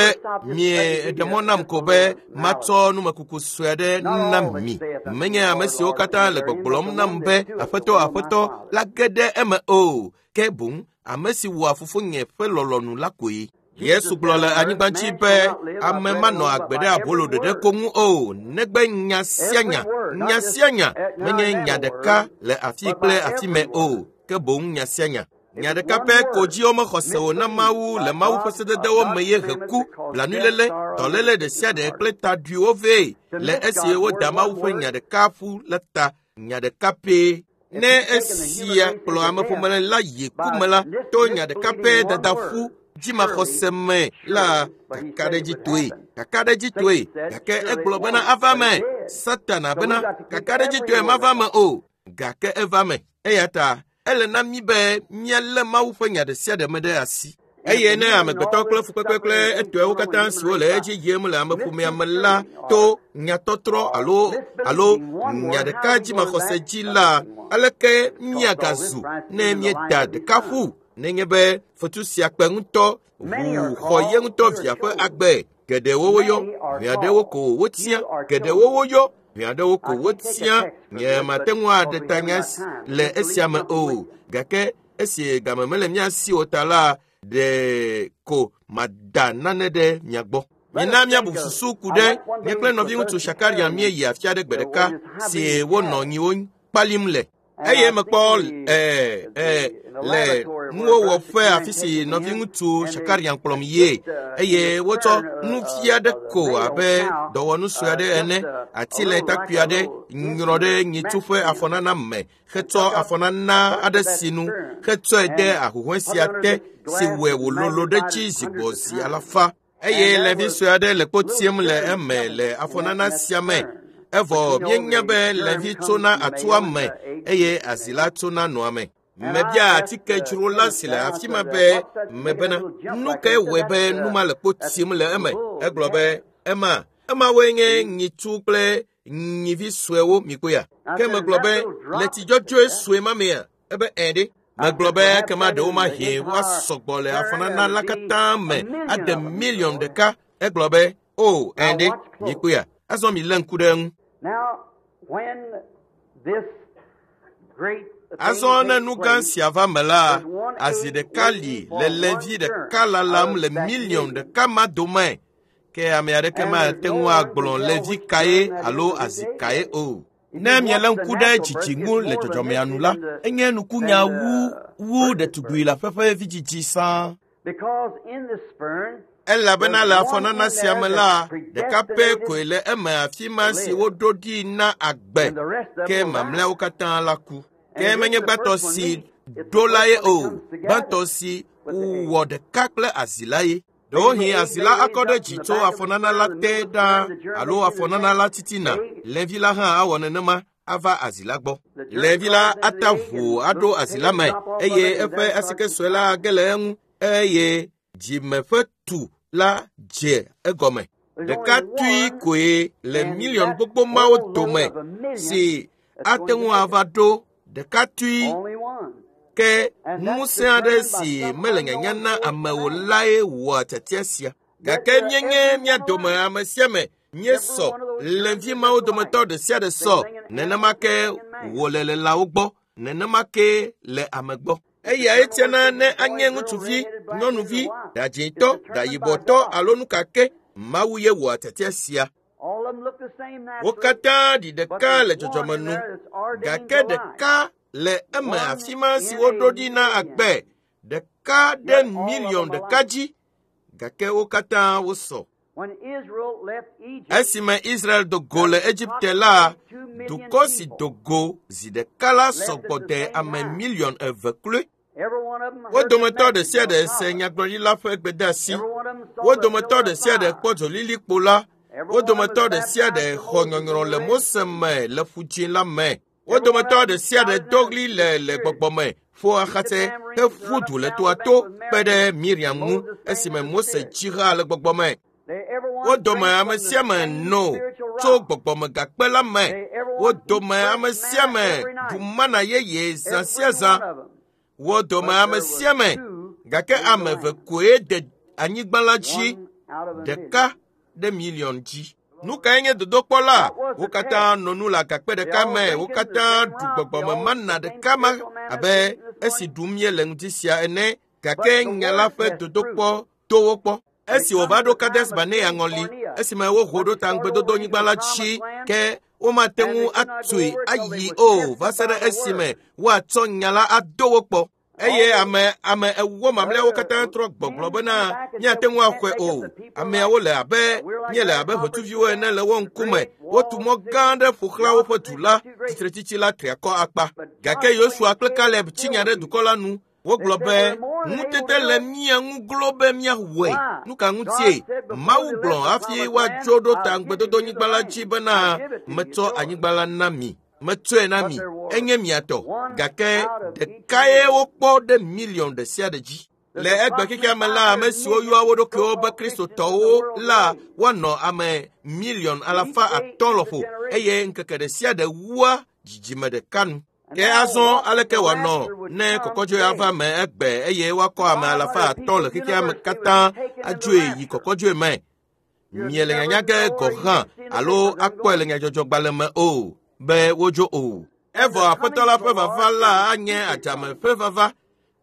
mieɖe mɔ nam ko be matsɔ numekuku sue aɖe na mi. Menye ame siwo katã le gbɔgblɔm nam be aƒetɔ aƒetɔ la ge ɖe eme o, ke boŋ ame si wɔa fofonye ƒe lɔlɔ̃nu la koe. Yesu gblɔ le anyigba dzi be ame manɔ agbe ɖe abolo ɖeɖe ko ŋu o, negbe nya sia nya, nya sia nya menye nya ɖeka le afi kple afi me o, ke boŋ nya sia nya. Nya ɖeka pɛ ko dzi womexɔ se o na Mawu le Mawu ƒe sededewo me ye he ku, blanuiléle, dɔléle ɖe sia ɖe kple taɖuiwo vɛ le esi woda Mawu ƒe nya ɖeka ƒu la ta, nya ɖeka pɛ. Ne esia kplɔ ameƒome la yi ku me la, to nya ɖeka pɛ dada ƒu dzimaxɔse me la kakaɖedzitɔe, kakaɖedzitɔe, gake egblɔ bena ava me. Satana bena kakaɖedzitɔe mava me o, gake eva me. Eya ta ele na mí be míalé Mawu ƒe nya ɖe sia ɖe me ɖe asi. Eye ne amegbetɔ kple fukpekpe kple etɔewo katã siwo le edzi yim le ameƒomea me la to nyatɔtrɔ alo alo nya ɖeka dzimaxɔse dzi la, aleke míagazu ne míeda ɖeka ƒu? Nenye be fetu sia kpe ŋutɔ ʋu xɔ ye ŋutɔ via ƒe agbe, Geɖewo woyɔ, ʋɛ aɖewo ko wotia. Geɖewo woyɔ, ʋɛ aɖewo ko wotia. Nye mate ŋu aɖe ta nya le esia me o. Gake esi game mele mía si o ta la, ɖe ko mada nane ɖe mia gbɔ. Mina míabu susu ku ɖe nye kple nɔviŋutsu Shakarian míeyi afi aɖe gbe ɖeka si wonɔ nyiwo kpalim le. Eye mekpɔ ɛɛ ɛɛ le nuwɔwɔƒe afi si nɔviŋutsu Shakarian kplɔm yie eye wotsɔ nufia aɖe ko abe dɔwɔnu sue aɖe ene, ati le takpui aɖe nyrɔ ɖe nyitsu ƒe afɔnana me hetsɔ afɔnana aɖe sinu hetsɔe de ahuhɔ̃e sia te si wɔe wòlolo ɖe tsi zi gbɔ zi alafa. Eye levi sue aɖe le kpo tiem le eme le afɔnana sia me. Evɔ míenya be levi tsona atua me eye azi la tsona nɔa me. Mebia atikedzrola si le afi ma be mebena nu kae wɔe be nu ma le kpo tiem le eme. Egblɔ be ema emawoe nye nyitsu kple nyivi suewo mikpɔea. Ke megblɔ be le tsidzɔdzɔe sue ma mea ebe ɛ ɖe. Megblɔ be ekema ɖewo mahĩ woasɔgbɔ le afɔnana la katã me ade miliɔn ɖeka. Egblɔ be o ɛ ɖe mikpɔea. Azɔ mi lé ŋku ɖe eŋu. Azɔ ne nu gã sia va me la, azi ɖeka li le levi ɖeka lalam le miliɔn ɖeka ma dome. Ke ame aɖeke mate ŋu agblɔ levi kae alo azi kae o. Ne mielé ŋku ɖe dzidzi ŋu le dzɔdzɔmea nu la, enye nukunya wu wu ɖetugbui le aƒe ƒe vidzidzi sãa. Elabena le afɔnana sia me la, ɖeka pɛ koe le eme afi ma si woɖo ɖi na agbe, ke mamlɛawo katã la ku. Ke menye gbãtɔ si ɖo la ye o, gbãtɔ si wɔ ɖeka kple azi la ye. Ɖewohĩ azi la akɔ ɖe dzi tso afɔnana la te ɖaa alo afɔnana la titina. Levi la hã awɔ nenema ava azi la gbɔ. Levi la ata ʋu aɖo azi la me eye eƒe asike sue la age le eŋu eye dzime ƒe tu la dze egɔme. Ɖeka tui koe le miliɔn gbogbo mawo dome si ate ŋu ava ɖo ɖeka tui. Ke ŋusẽ aɖe si mele nyanya na amewo lae wɔa tiatia sia. Gake míenye mía dome ame sia ame míesɔ levi mawo dometɔ ɖe sia ɖe sɔ. Nenema ke wòle le lãwo gbɔ, nenema ke le ame gbɔ. Eyae tiana ne anye ŋutsuvi, nyɔnuvi, ɖadzĩtɔ, ɖayibɔtɔ alo nu ka ke. Mawu ye wɔa tiatia sia. Wo katã ɖi ɖeka le dzɔdzɔme nu, gake ɖeka le eme afi ma si woɖo ɖi na agbe, ɖeka ɖe miliɔn ɖeka dzi, gake wo katã wosɔ. Esime Israel do go le Egipte la, dukɔ si do go zi ɖeka la sɔgbɔ de ame miliɔn eve kloe. Wo dometɔ ɖe sia ɖe se nyagblɔɖila ƒe gbedeasi. Wo dometɔ ɖe sia ɖe kpɔ dzolilikpo la. Wo dometɔ ɖe sia ɖe xɔ nyɔnyrɔ le Mose me le Ƒu Dzĩ la me. Wo dometɔ ɖe sia ɖe do ɣli le le gbɔgbɔ me, ƒo axatse heƒu du le toa to kpe ɖe Miriam ŋu esime Mose tsi ha le gbɔgbɔ me. Wo dome ame sia ame no tso gbɔgbɔmegakpe la me. Wo dome ame sia ame ɖu mana yeye zã sia zã. Wo dome ame sia ame, gake ame eve koe de anyigba la dzi, ɖeka ɖe miliɔn dzi. Nu kae nye dodokpɔ la? Wo katã nɔ nu le agakpe ɖeka me, wo katã ɖu gbɔgbɔme mana ɖeka ma abe esi ɖum míele ŋdi sia ene, gake nya la ƒe dodokpɔ to wo kpɔ. Esi wòva ɖo Kades Barnea ŋɔli, esime woho ɖo ta ŋugbedodonyigba la dzi, ke womate ŋu atui ayi o va se ɖe esime woatsɔ nya la ado wo kpɔ. Eye ame ame ewo mamlɛawo katã trɔ gbɔgblɔ bena míate ŋu axɔe o. Ameawo le abe míele abe ʋetsuviwo ene le wo ŋkume. Wotu mɔ gã aɖe ƒo xlã woƒe du la, tsitretsitsi la tri akɔ akpa. Gake Yosua kple Kaleb tsi nya ɖe dukɔ la nu. Wogblɔ be ŋutete le mía ŋu glo be míawɔe. Nu ka ŋutie? Mawu gblɔ hafi woatso ɖo ta ŋugbedodonyigba la dzi bena metsɔ anyigba la na mi. Metsɔe na mi, enye mia tɔ. Gake ɖekae wokpɔ ɖe miliɔn ɖe sia ɖe dzi. Le egbe xexea me la, ame siwo yɔa wo ɖokuiwo be Kristotɔwo la woanɔ ame miliɔn alafa atɔ̃ lɔƒo eye ŋkeke ɖe sia ɖe wua dzidzime ɖeka nu. Ke azɔ aleke wòanɔ ne kɔkɔdzoe ava me egbe eye woakɔ ame alafa atɔ̃ le xexea me katã adzoe yi kɔkɔdzoe me? Miele nyanya ge gɔ̃ hã alo akpɔe le nyadzɔdzɔgbalẽ me o be wodzo o. Evɔ aƒetɔ la ƒe vava la anye adzame ƒe vava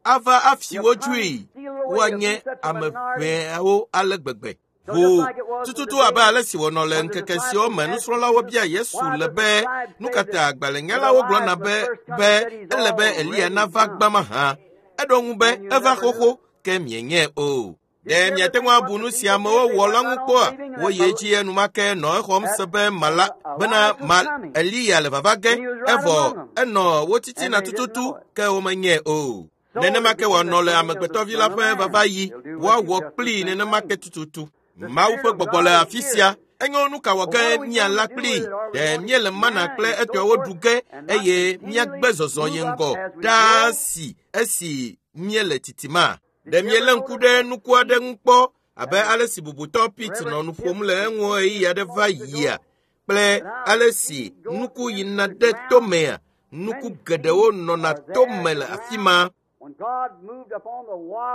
ava afi wo dzoe woanye ame ʋɛawo ale gbegbe. Ʋu tututu abe ale si wònɔ le ŋkeke siwo me nusrɔ̃lawo bia Yesu le be nu ka ta agbalẽnyalawo gblɔna be be ele be Eliya nava gbã mahã. Eɖo ŋu be eva xoxo ke mienyae o. Ɖe miate ŋu abu nu si amewo wɔ la ŋu kpɔa? Woyi edzi enumake nɔ exɔm se be mala bena ma Eliya le vava ge evɔ enɔ wo titina tututu ke womenyae o. Nenema ke wòanɔ le amegbetɔvi la ƒe vava yi woawɔ kplii nenema ke tututu. Mawu ƒe gbɔgbɔ le afi sia. Enyo nu ka wɔ ge míala kplii? Ɖe míele mana kple etɔewo ɖu ge eye míagbe zɔzɔ yi ŋgɔ ɖaa si esi míele titima? Ɖe míelé ŋku ɖe nuku aɖe ŋu kpɔ abe ale si bubutɔ Pete nɔ nu ƒom le eŋu ɣeyiɣi aɖe va yia kple ale si nuku yina ɖe tomea? Nuku geɖewo nɔna tome le afi ma.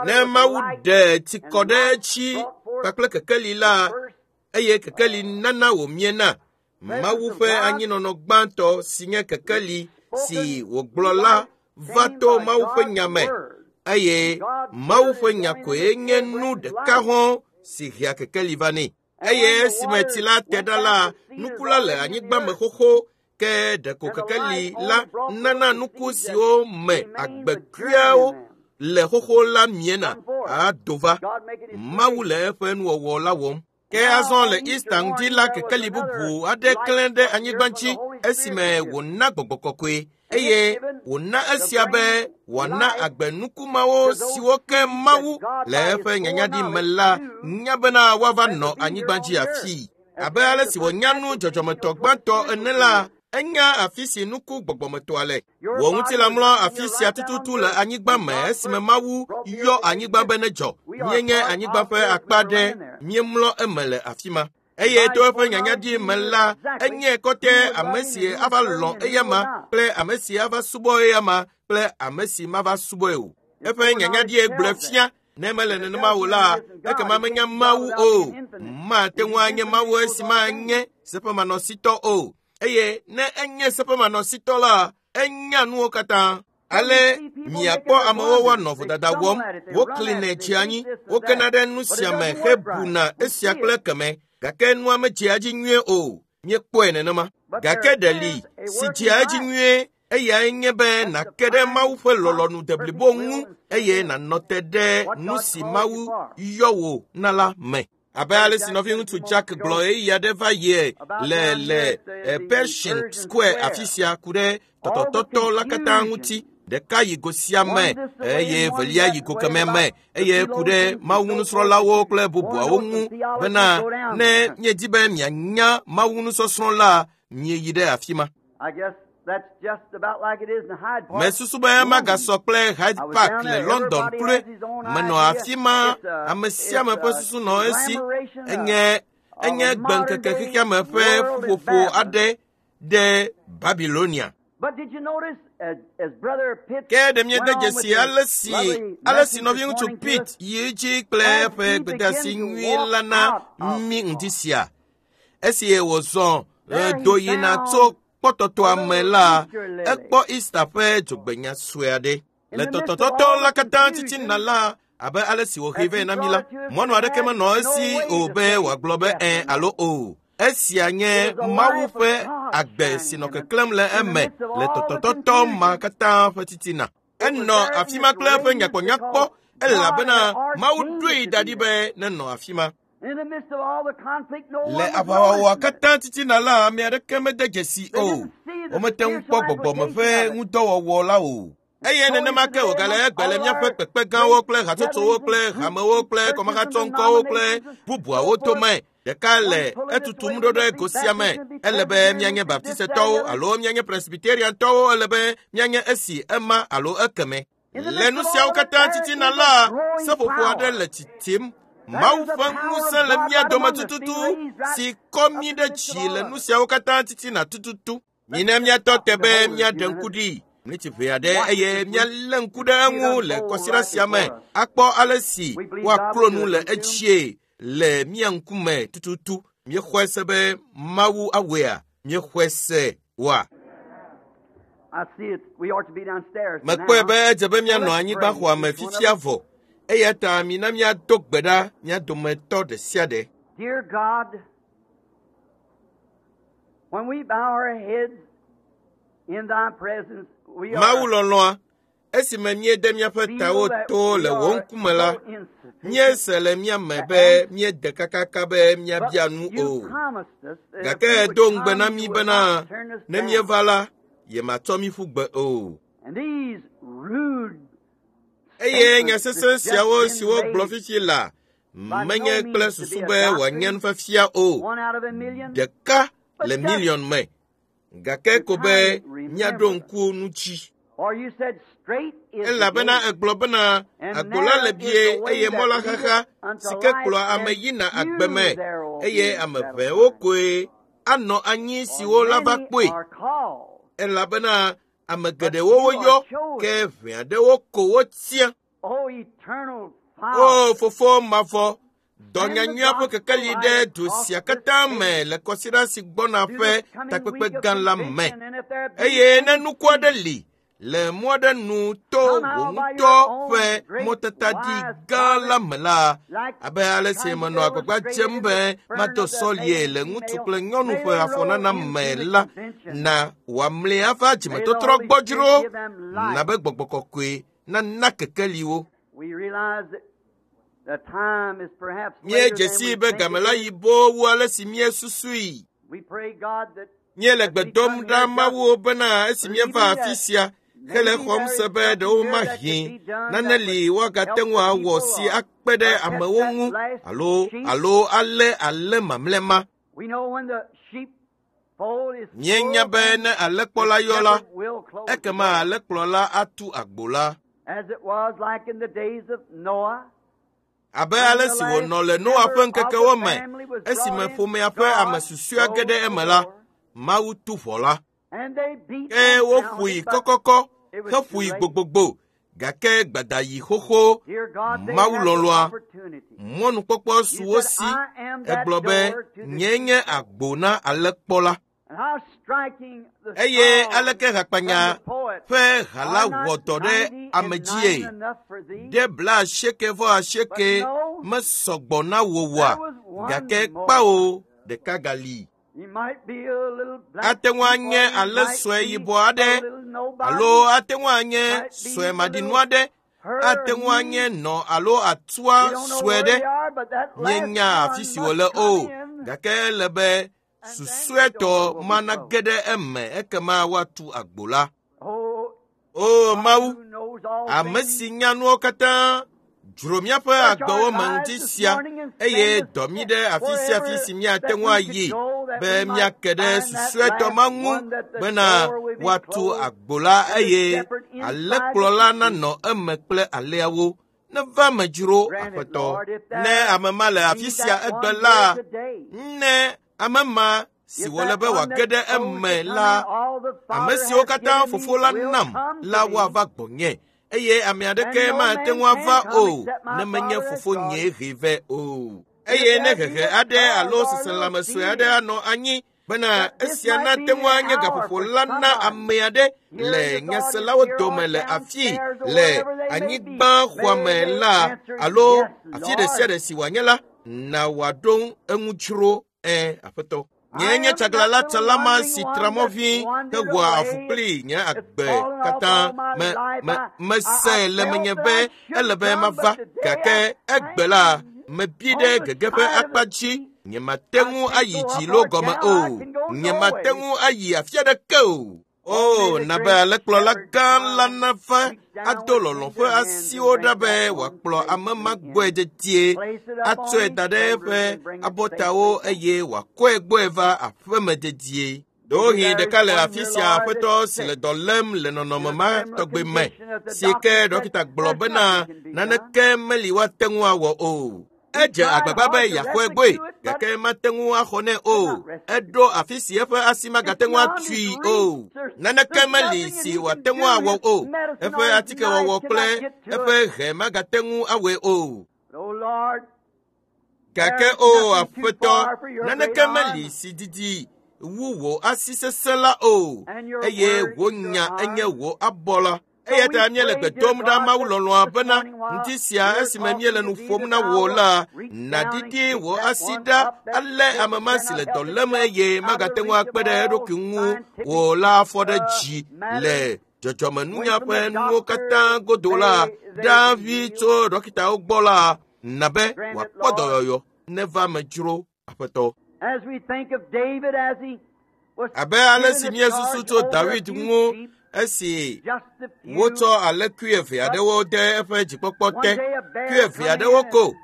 Ne Mawu ɖe tsi kɔ ɖe edzi kpakple kekeli la eye kekeli nana wòmiena. Mawu ƒe anyinɔnɔ gbãtɔ si nye kekeli si wògblɔ la va to Mawu ƒe nya me eye Mawu ƒe nya koe nye nu ɖeka hɔ̃ si hea kekeli va nɛ. Eye esime tsi la te ɖa la, nuku la le anyigba me xoxo ke ɖeko kekeli la nana nuku siwo me agbekuiawo le xoxo la miena ado va. Mawu le eƒe nuwɔwɔ la wɔm. Ke azɔ le Easter ŋdi la kekeli bubu aɖe klẽ ɖe anyigba dzi esime wòna gbɔgbɔ kɔkɔe eye wòna esia be wòana agbe nuku mawo siwo ke Mawu le eƒe nyanyaɖi me la nya bena woava nɔ anyigba dzi afii. Abe ale si wònya nu dzɔdzɔmetɔ gbãtɔ ene la, enya afi si nuku gbɔgbɔmetɔa le. Wò ŋutilã mlɔ afi sia tututu le anyigba me esime Mawu yɔ anyigba be nedzɔ. Míenye anyigba ƒe akpa ɖe, míemlɔ eme le afi ma. Eye to eƒe nyanyaɖi me la, enye kɔtɛ ame si ava lɔ̃ eyama kple ame si ava subɔ eyama kple ame si mava subɔe o. Eƒe nyanyaɖie gblɔe fia. Ne mele nenema o la, ekema menya Mawu o. Mate ŋu anye Mawu esi manye seƒemanɔsitɔ o. Eye ne enye seƒemanɔsitɔ la, enya nuwo katã. Ale miakpɔ amewo woanɔ vodada wɔm, woklinɛ tsi anyi, wokena ɖe nu sia me hebuna esia kple keme, gake nua medzea edzi nyuie o. Míekpɔe nenema. Gake ɖe li si dzea edzi nyuie eyae nye be nàke ɖe Mawu ƒe lɔlɔ̃nu deblibo ŋu eye nànɔ te ɖe nu si Mawu yɔ wò na la me. Abe ale si nɔviŋutsu Jack gblɔ ɣeyiɣi aɖe va yie le le Pershing Square afi sia ku ɖe tɔtɔtɔtɔ la katã ŋuti. Ɖeka yi go sia me eye velia yi go kemɛ me eye ku ɖe Mawu nusrɔ̃lawo kple bubuawo ŋu bena ne miedi be mianya Mawu nusɔsrɔ̃ la, mieyi ɖe afi ma. Mesusu be magasɔ kple Hyde Park le London kloe. Menɔ afi ma, ame sia ame ƒe susu nɔ esi. Enye enye gbeŋkeke xexeame ƒe ƒuƒoƒo aɖe ɖe Babilonia. Ke ɖe miede dzesi ale si ale si nɔviŋutsu Pete yi edzi kple eƒe gbedeasi nyui la na mí ŋdi sia. Esi wòzɔ do yina tso kpɔtɔtɔa me la, ekpɔ Easter ƒe dzogbenya sue aɖe. Le tɔtɔtɔtɔ la katã titina la, abe ale si wòhee vɛ na mí la, mɔnu aɖeke menɔ esi o be wòagblɔ be ɛ̃ alo o. Esia nye Mawu ƒe agbe si nɔ keklẽm le eme le tɔtɔtɔtɔ ma katã ƒe titina. Enɔ afi ma kple eƒe nyakpɔnyakpɔ elabena Mawu ɖoe da ɖi be nenɔ afi ma. Le aʋawɔwɔa katã titina la, ame aɖeke mede dzesi o. Womete ŋu kpɔ gbɔgbɔme ƒe ŋudɔwɔwɔ la o. Eye nenema ke wògale egbe le míaƒe kpekpe gãwo kple hatsotsowo kple hamewo kple kɔmahatsɔŋkɔwo kple bubuawo dome. Ɖeka le etutum ɖo ɖe go sia me. Ele be míanye Baptistetɔwo alo míanye Presbyteriantɔwo, ele be míanye esi ema alo ekeme. Le nu siawo katã titina la, seƒoƒo aɖe le tsitim. Mawu ƒe ŋusẽ le mía dome tututu si kɔ mí ɖe dzi le nu siawo katã titina tututu. Mina míatɔ te be míaɖe ŋku ɖi miniti ʋɛ aɖe eye míalé ŋku ɖe eŋu le kɔsiɖa sia me akpɔ ale si woaklo nu le edzie le mía ŋkume tututu. Míexɔe se be Mawu awɔea? Míexɔe se oa? I see it. We ought to be downstairs Mekpɔe now. be edze be míanɔ anyigba xɔa me fifia vɔ. Eya ta mina míado gbe ɖa mía dometɔ ɖe sia ɖe. Dear God, when we bow our heads in thy presence, we Mawu are lɔlɔ̃a, esime míede míaƒe feel tawo that to we le wò are ŋkume la, so insufficient. míese le mía me be míede kakaka be míabia But nu you o. promised us that if Gake we would èdo ŋugbe come, na you mí would bena not turn us ne down. míeva la, yematsɔ mí ƒu gbe o. And these rude Eye nya statements sesẽ that's just siawo been siwo gblɔ made fifi la, by menye no kple means to susu be a be wòanye doctrine, nufiafia o. one out of a million, Ɖeka le but just miliɔn me. Gake to ko be kind míaɖo remember. ŋku nu dzi. For you said straight is the Elabena gate, egblɔ bena and agbo la narrow le is bie the way eye mɔ that la leadeth xaxa unto si ke life, kplɔa ame and yina agbe few me there will eye be ame that'll ʋɛwo find. koe anɔ anyi For siwo la va many kpɔe. are called, Elabena ame but geɖewo few woyɔ are chosen. ke ʋɛ aɖewo ko wotia. O eternal O Father, fofo mavɔ, dɔ send the nyanyuia ƒe gospel kekeli ɖe light du across sia this katã me page le kɔsiɖa si gbɔna to ƒe this coming takpekpe week of gã la me. convention, and if there be Eye ne any nuku aɖe seed li le mɔ aɖe nu to wò somehow by ŋutɔ your own ƒe great mɔtataɖi wise gã la providence, me la, like abe ale si trying to menɔ agbagba illustrate it dzem in be the burn mado of the sɔlie male le and ŋutsu female, kple nyɔnu may ƒe they roll afɔnana into me the la, convention. na wòamli ava May the dzimetɔtrɔ Holy Spirit gbɔdzro, give them na light. be gbɔgbɔ kɔkɔe nana kekeli wo. We realize that the time is perhaps later Míedze than sii we be think game it la is. yi boo wu ale si míesusui. We pray, God, that Míele as gbe we dom come ɖa here just Mawu bena esi míeva believing afi that sia hele maybe xɔm there se is be something ɖewo here that could mahi be done nane that li would woagate help ŋu the awɔ people si or, akpe ɖe or catch amewo that ŋu last alo sheep. alo alé alé mamlɛ ma. We know when the sheepfold is Míenya full, be then ne the alẽkplɔla yɔ la, shepherd will close the ekema door. alẽkplɔla atu agbo la. As it was like in the days of Noah, Abe when ale the si last wònɔ le Noa member ƒe of the ŋkekewo me, family was brought esime in, ƒomea ƒe ame God susɔea ge closed ɖe the eme la, door. Mawu tu ʋɔ la. And they beat Ke and woƒoe pounded, but kɔkɔkɔ it was too heƒoe late. gbogbogbò gake gbadayi xoxo Dear God, they Mawu had the lɔlɔ̃a opportunity. mɔnukpɔkpɔ su You wo said, si I am that egblɔ be door to the nyee nye sheepfold. agbo na alẽkpɔla. And how striking the Eye song aleke from hakpanya the poet, ƒe ha la Are wɔ not dɔ ɖe ninety ame and dzie? nine enough for thee? Ɖe bla asieke vɔ But asieke no, mesɔ gbɔ na wò oa? there was one Gake more. kpao ɖeka gali. He might be a little black Ate ŋu sheep, or anye he alẽ might sue be yibɔ a aɖe little alo nobody, ate ŋu anye might sue be the maɖinu little aɖe, her, ate ŋu anye he. nɔ alo atua We don't know sue where ɖe. they are, but that last Míenya afi one si must wòle come o, in, gake ele be and then the susuetɔ door will be ma closed. nage ɖe eme ekema woatu agbo la. Oh, O God Mawu, who knows all ame things, si nya nuwo katã, dzro míaƒe search our agbewo me lives ŋdi this sia morning and eye send us dɔ mí ɖe afi sia afi wherever si míate that ŋu we could ayi go that be we might míake ɖe find that susuetɔ last ma ŋu one that the bena door will be woatu closed agbo la and the eye shepherd inside the alẽkplɔla sheep. nanɔ eme kple alẽawo. Neva me dzro Grant it, Aƒetɔ. Lord, if Ne there ame ma le afi be sia that egbe one la, here today, ne ame ma si if wòle that be one wòage that's ɖe supposed to eme come in, la, all the ame Father siwo has katã given me fofo la will nam come to la me, woava gbɔnye eye ame and aɖeke no mate man ŋu ava can come o except my ne menye Father has fofo brought nyee him. hee vɛ o. And if Eye ne there be hehe a aɖe cause alo or a little seselãme sue aɖe feeling anɔ anyi bena that this esia might nate be ŋu the anye hour gaƒoƒo for la na somebody ame aɖe here in le this audience nyaselawo here dome or le afi downstairs or le wherever they may be, anyigba xɔa may me they la answer, alo Yes, afi ɖe sia Lord. ɖe si wòanye la, na wòaɖo eŋu dzro ẽ Aƒetɔ. I Nyee nye am that tsaglãla little tsala ma wandering si one tra mɔ that's vi wandered hewɔa avu away. kpli nye It's agbe fallen off katã. all my Me, life. me, I, I, mese I le felt menye that be I ele shouldn't be come, mava but today gake I egbe la am mebi ɖe on the gege ƒe side of akpa the dzi. sea. Nyemate I ŋu can't ayi go dzi up loo or gɔme down. I o. can go Nyemate nowhere. ŋu ayi afi aɖeke o. Oh, O, may the na be great alẽkplɔla shepherd gã la come, nava reach down ado with lɔlɔ̃ tender ƒe hands and asiwo bring ɖa be that one wòakplɔ ame ma safely gbɔe in. dedie, Place it up on atsɔe his da ɖe shoulders eƒe and bring it abɔtawo safely home. eye wòakɔe gbɔe va aƒeme dedie. Maybe Ɖewohĩ there is ɖeka le one afi here, sia Lord, aƒetɔ that's si le sick dɔ lém le in nɔnɔme a ma similar tɔgbe me condition that the si ke doctor said ɖɔkita gblɔ there's bena nothing can be done. naneke meli woate ŋu awɔ o. He Edze tried agbagba be hard to yeaxɔe gbɔe rescue it, but gake mate ŋu axɔ nɛ could o. not rescue it. Eɖo afi si eƒe asi It's magate ŋu beyond atui his o. reach. There's, Naneke there's meli nothing that si he can wòate do. ŋu awɔ His o. medicine Eƒe or his atikewɔwɔ knife kple cannot get to eƒe it. he magate ŋu awɔe o. But, oh Lord, Gake o Aƒetɔ, naneke meli si didi wu wò asi sesẽ la o, eye wò nya enye wò abɔ la. Eya ta míele gbe dom ɖa Mawu lɔlɔ̃a bena ŋdi sia esime míele nu ƒom na wò la, nàdidi wò asi ɖa alé ame ma si le dɔ lém eye magate ŋu akpe ɖe eɖokui ŋu wò la afɔ ɖe dzi le dzɔdzɔmenunya ƒe nuwo katã godo la ɖa vi tso ɖɔkitawo gbɔ la na be wòakpɔ dɔyɔyɔ neva me dzro Aƒetɔ. Abe ale si míesusu tso David ŋu esi wotsɔ alẽkui eve aɖewo de eƒe dzikpɔkpɔ te, kui eve aɖewo ko.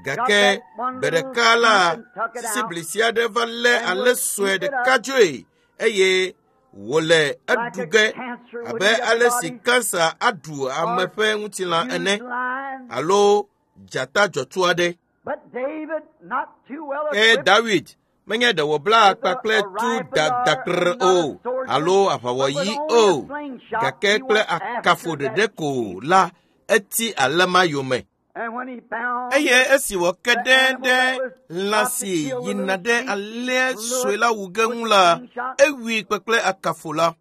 Gake gbe ɖeka la, sisiblisi aɖe va lé alẽ sue ɖeka dzoe eye wòle eɖu ge abe ale si kansa aɖu ame ƒe ŋutilã ene alo dzata dzɔtsu aɖe. Ke David menye ɖe wòbla akpa kple tu dadakr o alo aʋawɔyi o, gake kple akafo ɖeɖe ko la eti alẽ ma yome. Eye esi wòke ɖe ɖe lã si yina ɖe alẽa sue la wu ge ŋu la, ewui kpekple akafo la.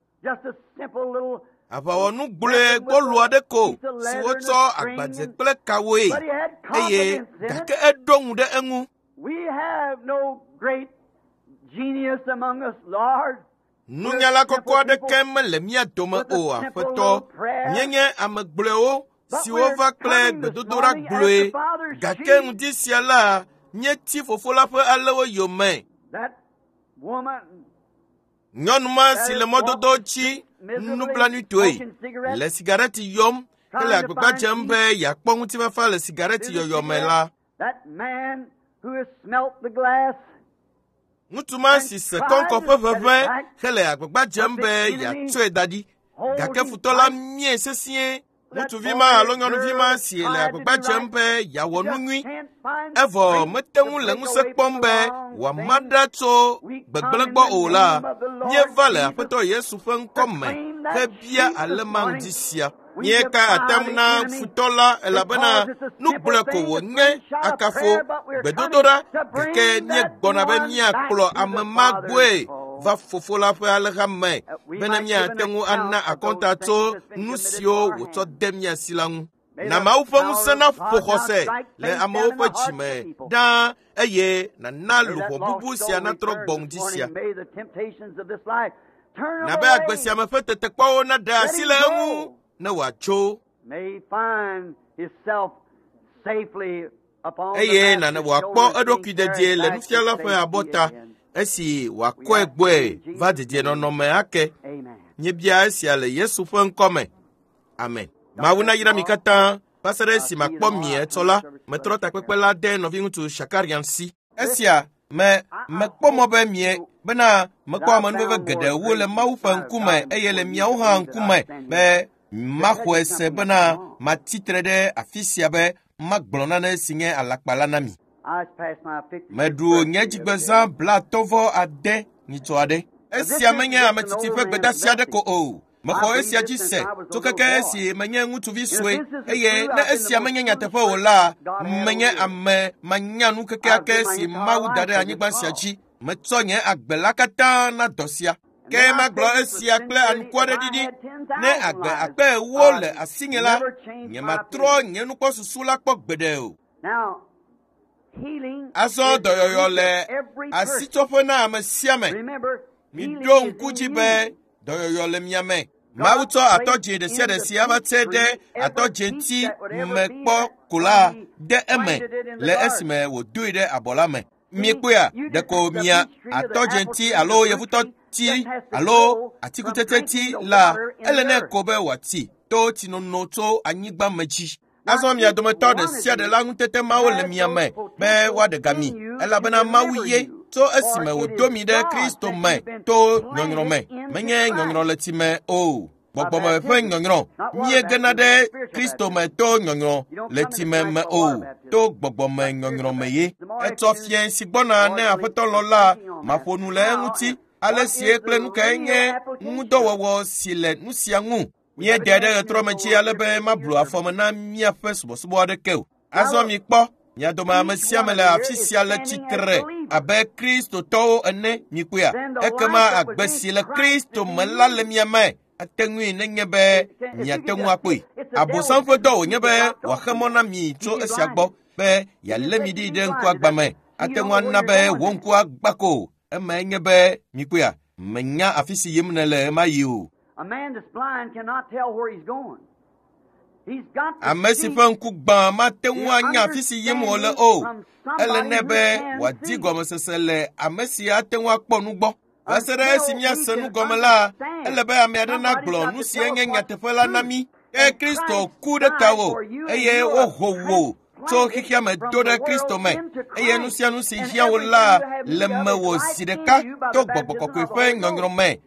Aʋawɔnu gblɔe gbɔlo aɖe ko si wotsɔ agbadze kple kawoe eye gake eɖo ŋu ɖe eŋu. Nunyala kɔkɔ aɖeke mele mía dome o, Aƒetɔ. Míenye ame gblɔewo siwo va kple gbedodoɖa gblɔe, gake ŋdi sia la, míeti fofo la ƒe alẽwo yome. Nyɔnu ma si le mɔdodo dzi nublanuitɔe le sigareti yɔm hele agbagba dzem be yeakpɔ ŋutifafa le sigareti yɔyɔ me la. Ŋutsu ma si se kɔŋkɔ ƒe ʋeʋẽ hele agbagba dzem be yeatsɔe da ɖi, gake futɔ la mie sesĩe. Ŋutsuvi ma alo nyɔnuvi ma si le agbagba dzem be yeawɔ nu nyui, evɔ mete ŋu le ŋusẽ kpɔm be wòama ɖa tso gbegblẽ gbɔ o la, míeva le Aƒetɔ Yesu ƒe ŋkɔ me hebia alẽ ma ŋdi sia. Míeka atam na futɔ la elabena nu gblɔe ko wònye akafo gbedodoɖa, gake míegbɔna be míakplɔ ame ma gbɔe va fofo la ƒe alẽha me bene míate ŋu ana akɔnta tso nu siwo wòtsɔ de mía si la ŋu. Na Mawu ƒe ŋusẽ naƒo xɔse le amewo ƒe dzime ɖaa eye nàna luʋɔ bubu sia natrɔ gbɔ ŋdi sia. Na be agbe sia me ƒe tetekpɔwo naɖe asi le eŋu ne wòatso. Eye nana wòakpɔ eɖokui dedie le nufiala ƒe abɔta esi wòakɔe gbɔe va dedienɔnɔ me ake. Míebia esia le Yesu ƒe ŋkɔ me. Amen. Mawu nayra mi katã va se ɖe esi makpɔ mi etsɔ la, metrɔ takpekpe la de nɔviŋutsu Shakarian si. Esia me mekpɔ mɔ be mie bena mekpɔ amenuveve geɖewo le Mawu ƒe ŋkume eye le miawo hã ŋkume be maxɔe se bena matsi tre ɖe afi sia be magblɔ nane si nye alakpa la na mi. Meɖu nye dzigbezã blaatɔ̃ vɔ ade nyitsɔ aɖe. Esia menye ame tsitsi ƒe gbedeasi aɖe ko o. Mexɔ esia dzi se tso keke esi menye ŋutsuvi sue eye ne esia menye nyateƒe o la, menye ame manyanu kekeake si Mawu da ɖe anyigba sia dzi. Metsɔ nye agbe la katã na dɔ sia. Ke magblɔ esia kple anukware ɖiɖi. Ne agbe akpe ewo le asinye la, nyematrɔ nye nukpɔsusu la kpɔ gbeɖe o. Azɔ dɔyɔyɔ le asitsɔƒe na ame sia ame. Miɖo ŋku dzi be dɔyɔyɔ le mia me. Mawu tsɔ atɔdze ɖe sia ɖe si ava tse ɖe atɔdzeti me kpɔ ko la de eme le esime wòdoe ɖe abɔ la me. Miekpɔea, ɖeko mia atɔdzeti alo yevutɔti alo atikutsetseti la ele nɛ ko be wòati to tsinono tso anyigba me dzi. Azɔ mia dometɔ ɖe sia ɖe la ŋutete mawo le mia me be woaɖe ga mi elabena Mawu ye tso esime wòdo mi ɖe Kristo me to nyɔnyrɔ me. Menye nyɔnyrɔ le tsi me o. Gbɔgbɔme ƒe nyɔnyrɔ. Míegena ɖe Kristo me to nyɔnyrɔ le tsi me me o. To gbɔgbɔme nyɔnyrɔ me ye. Etsɔ fiẽ si gbɔna ne Aƒetɔ lɔ la maƒo nu le eŋuti. Ale sie kple nu kae nye ŋudɔwɔwɔ si le nu sia ŋu. Míede ɖe ɣetrɔ me dzi ale be mablu afɔme na míaƒe subɔsubɔ aɖeke o. Azɔ mikpɔ, Mia dome ame sia ame le afi sia le tsitre abe Kristotɔwo ene mikpɔea. Ekema agbe si le Kristo me la le mia me. Ate ŋui nenye be miate ŋu akpɔe. Abosam ƒe dɔ wònye be wòaxe mɔ na mi tso esia gbɔ be yealé mi ɖi ɖe ŋkuagbã me. Ate ŋu ana be wò ŋku agbã ko. Emae nye be mikpɔea, menya afi si yim nèle ɣemaɣi o. A man that's blind cannot tell where he's going. He's got to Ame si see ƒe ŋku gbã mate ŋu anya afi si yim wòle o. Ele nɛ be wòadi gɔmesese le ame si ate ŋu akpɔ nu gbɔ. Va se ɖe esi míase nu gɔme la, ele be ame aɖe nagblɔ nu si nye nyateƒe la na mí. Ke Kristo ku ɖe tawò eye woho wò tso xexea me do ɖe Kristo me eye nu sia nu si hiã wò la le mewò zi ɖeka to Gbɔgbɔ Kɔkɔe ƒe nyɔnyrɔ me.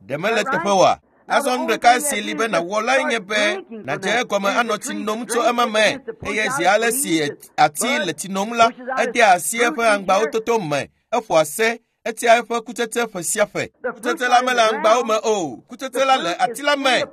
Ɖe mele teƒe oa? Azɔ nu ɖeka si li be nàwɔ lae nye be nàdze egɔme anɔ tsi nom tso ema me eye zi ale si ati le tsi nom la, edea asi eƒe aŋgbawo toto me, eƒoa se, etia eƒe kutsetse ƒe sia ƒe. Kutsetse la mele aŋgbawo me o, kutsetse la le ati la me.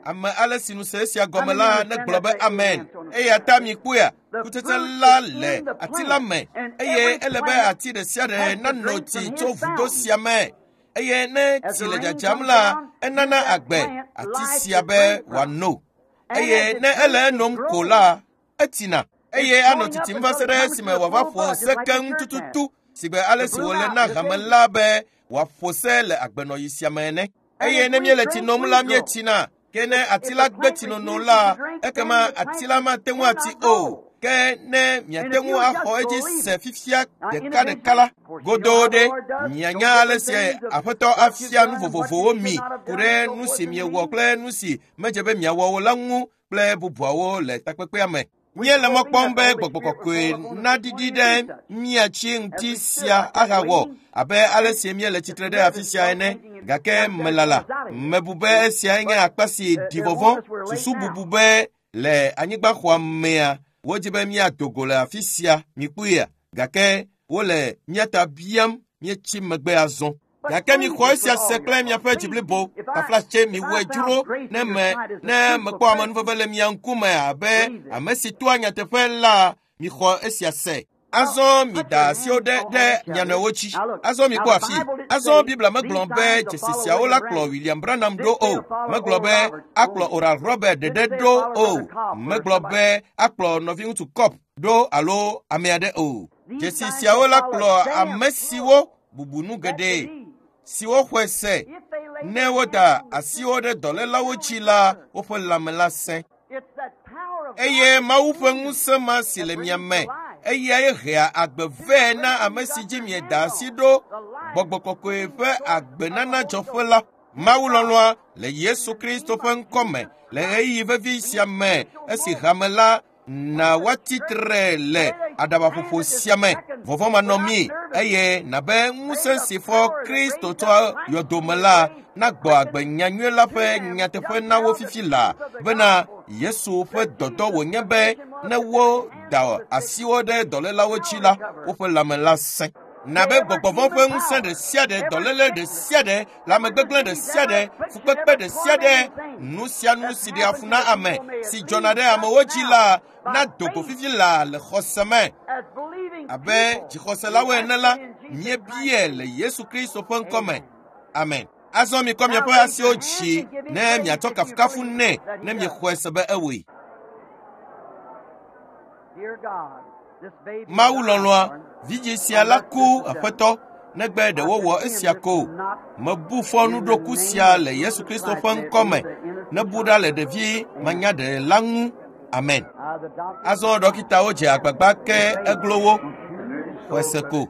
Ame ale si nu se esia gɔme la negblɔ be amen. Eya ta mikpɔea, kutsetse la le ati la me eye ele be ati ɖe sia ɖe nano tsi tso vudo sia me. Eye ne tsi le dzadzam la, enana agbe ati sia be wòano. Eye ne ele enom ko la, etsina. Eye anɔ tsitsim va se ɖe esime wòava ƒo se keŋ tututu sigbe ale si wòle na hame la be wòaƒo se le agbenɔɣi sia me ene. Eye ne míele tsi nom la, míetsina. Ke ne ati la gbe tsinono la, ekema ati la mate ŋu ati o. Ke ne miate ŋu axɔ edzi se fifia ɖekaɖeka la, godoo ɖe mianya ale si Aƒetɔ afia nu vovovowo mi ku ɖe nu si miewɔ kple nu si medze be miawɔ o la ŋu kple bubuawo le takpekpea me. Míele mɔ kpɔm be Gbɔgbɔ Kɔkɔe naɖiɖi ɖe mía dzi ŋuti sia ahawɔ abe ale si míele tsitre ɖe afi sia ene. Gake melala, mebu be esiae nye akpa si ɖi vɔvɔ̃, susu bubu be le anyigbaxɔa mea, wodzi be míado go le afi sia mikpɔea, gake wole mía ta biam míetsi megbe azɔ. Gake mixɔ esia se kple miaƒe dzi blibo. Taflatse miwɔe dzro ne me ne mekpɔ amenuveve le mia ŋkume abe ame si toa nyateƒe la, mixɔ esia se. Azɔ mida asiwo ɖe ɖe mia nɔewo dzi. Azɔ mikpɔ afi. Azɔ Biblia megblɔ be dzesi siawo la kplɔ William Branham ɖo o. Megblɔ be akplɔ Oral Robert ɖeɖe ɖo o. Megblɔ be akplɔ nɔviŋutsu Kopp ɖo alo ame aɖe o. Dzesi siawo la kplɔ ame siwo bubu nu geɖe siwo xɔe se ne woda asiwo ɖe dɔlélawo dzi la, woƒe lãme la sẽ. Eye Mawu ƒe ŋusẽ ma si le mia me, eyae hea agbe vɛ na ame si dzi mieda asi ɖo, Gbɔgbɔ Kɔkɔe ƒe agbenana dzɔƒe la. Mawu lɔlɔ̃a le Yesu Kristo ƒe ŋkɔ me le ɣeyiɣi vevi sia me esi hame la na woatsi tre le aɖabaƒoƒo sia me. Vɔvɔ̃ manɔ mí eye nabe ŋusẽ si fɔ Kristo tso yɔdome la nagbɔ agbe nyanyui la ƒe nyateƒe na wo fifi la bena Yesu ƒe dɔdɔ wònye be ne woda asiwo ɖe dɔlélawo dzi la, woƒe lãme la sẽ. Nabe gbɔgbɔvɔ̃ ƒe ŋusẽ ɖe sia ɖe, dɔléle ɖe sia ɖe, lãmegbegblẽ ɖe sia ɖe, fukpekpe ɖe sia ɖe, nu sia nu si ɖea fu na ame, si dzɔna ɖe amewo dzi la, nado go fifi la le xɔse me. Abe dzixɔselawo ene la, míebie le Yesu Kristo ƒe ŋkɔ me. Amen. Azɔ mikɔ miaƒe asiwo dzi ne miatsɔ kafukafu nɛ ne miexɔe se be ewɔe. Mawu lɔlɔ̃a, vidzĩ sia la ku Aƒetɔ, negbe ɖe wowɔ esia ko. Mebu fɔ nuɖoku sia le Yesu Kristo ƒe ŋkɔ me. Nebu ɖa le ɖevi manyaɖe la ŋu. Amen. Azɔ ɖɔkitawo dze agbagba ke eglo wo. Xɔe se ko.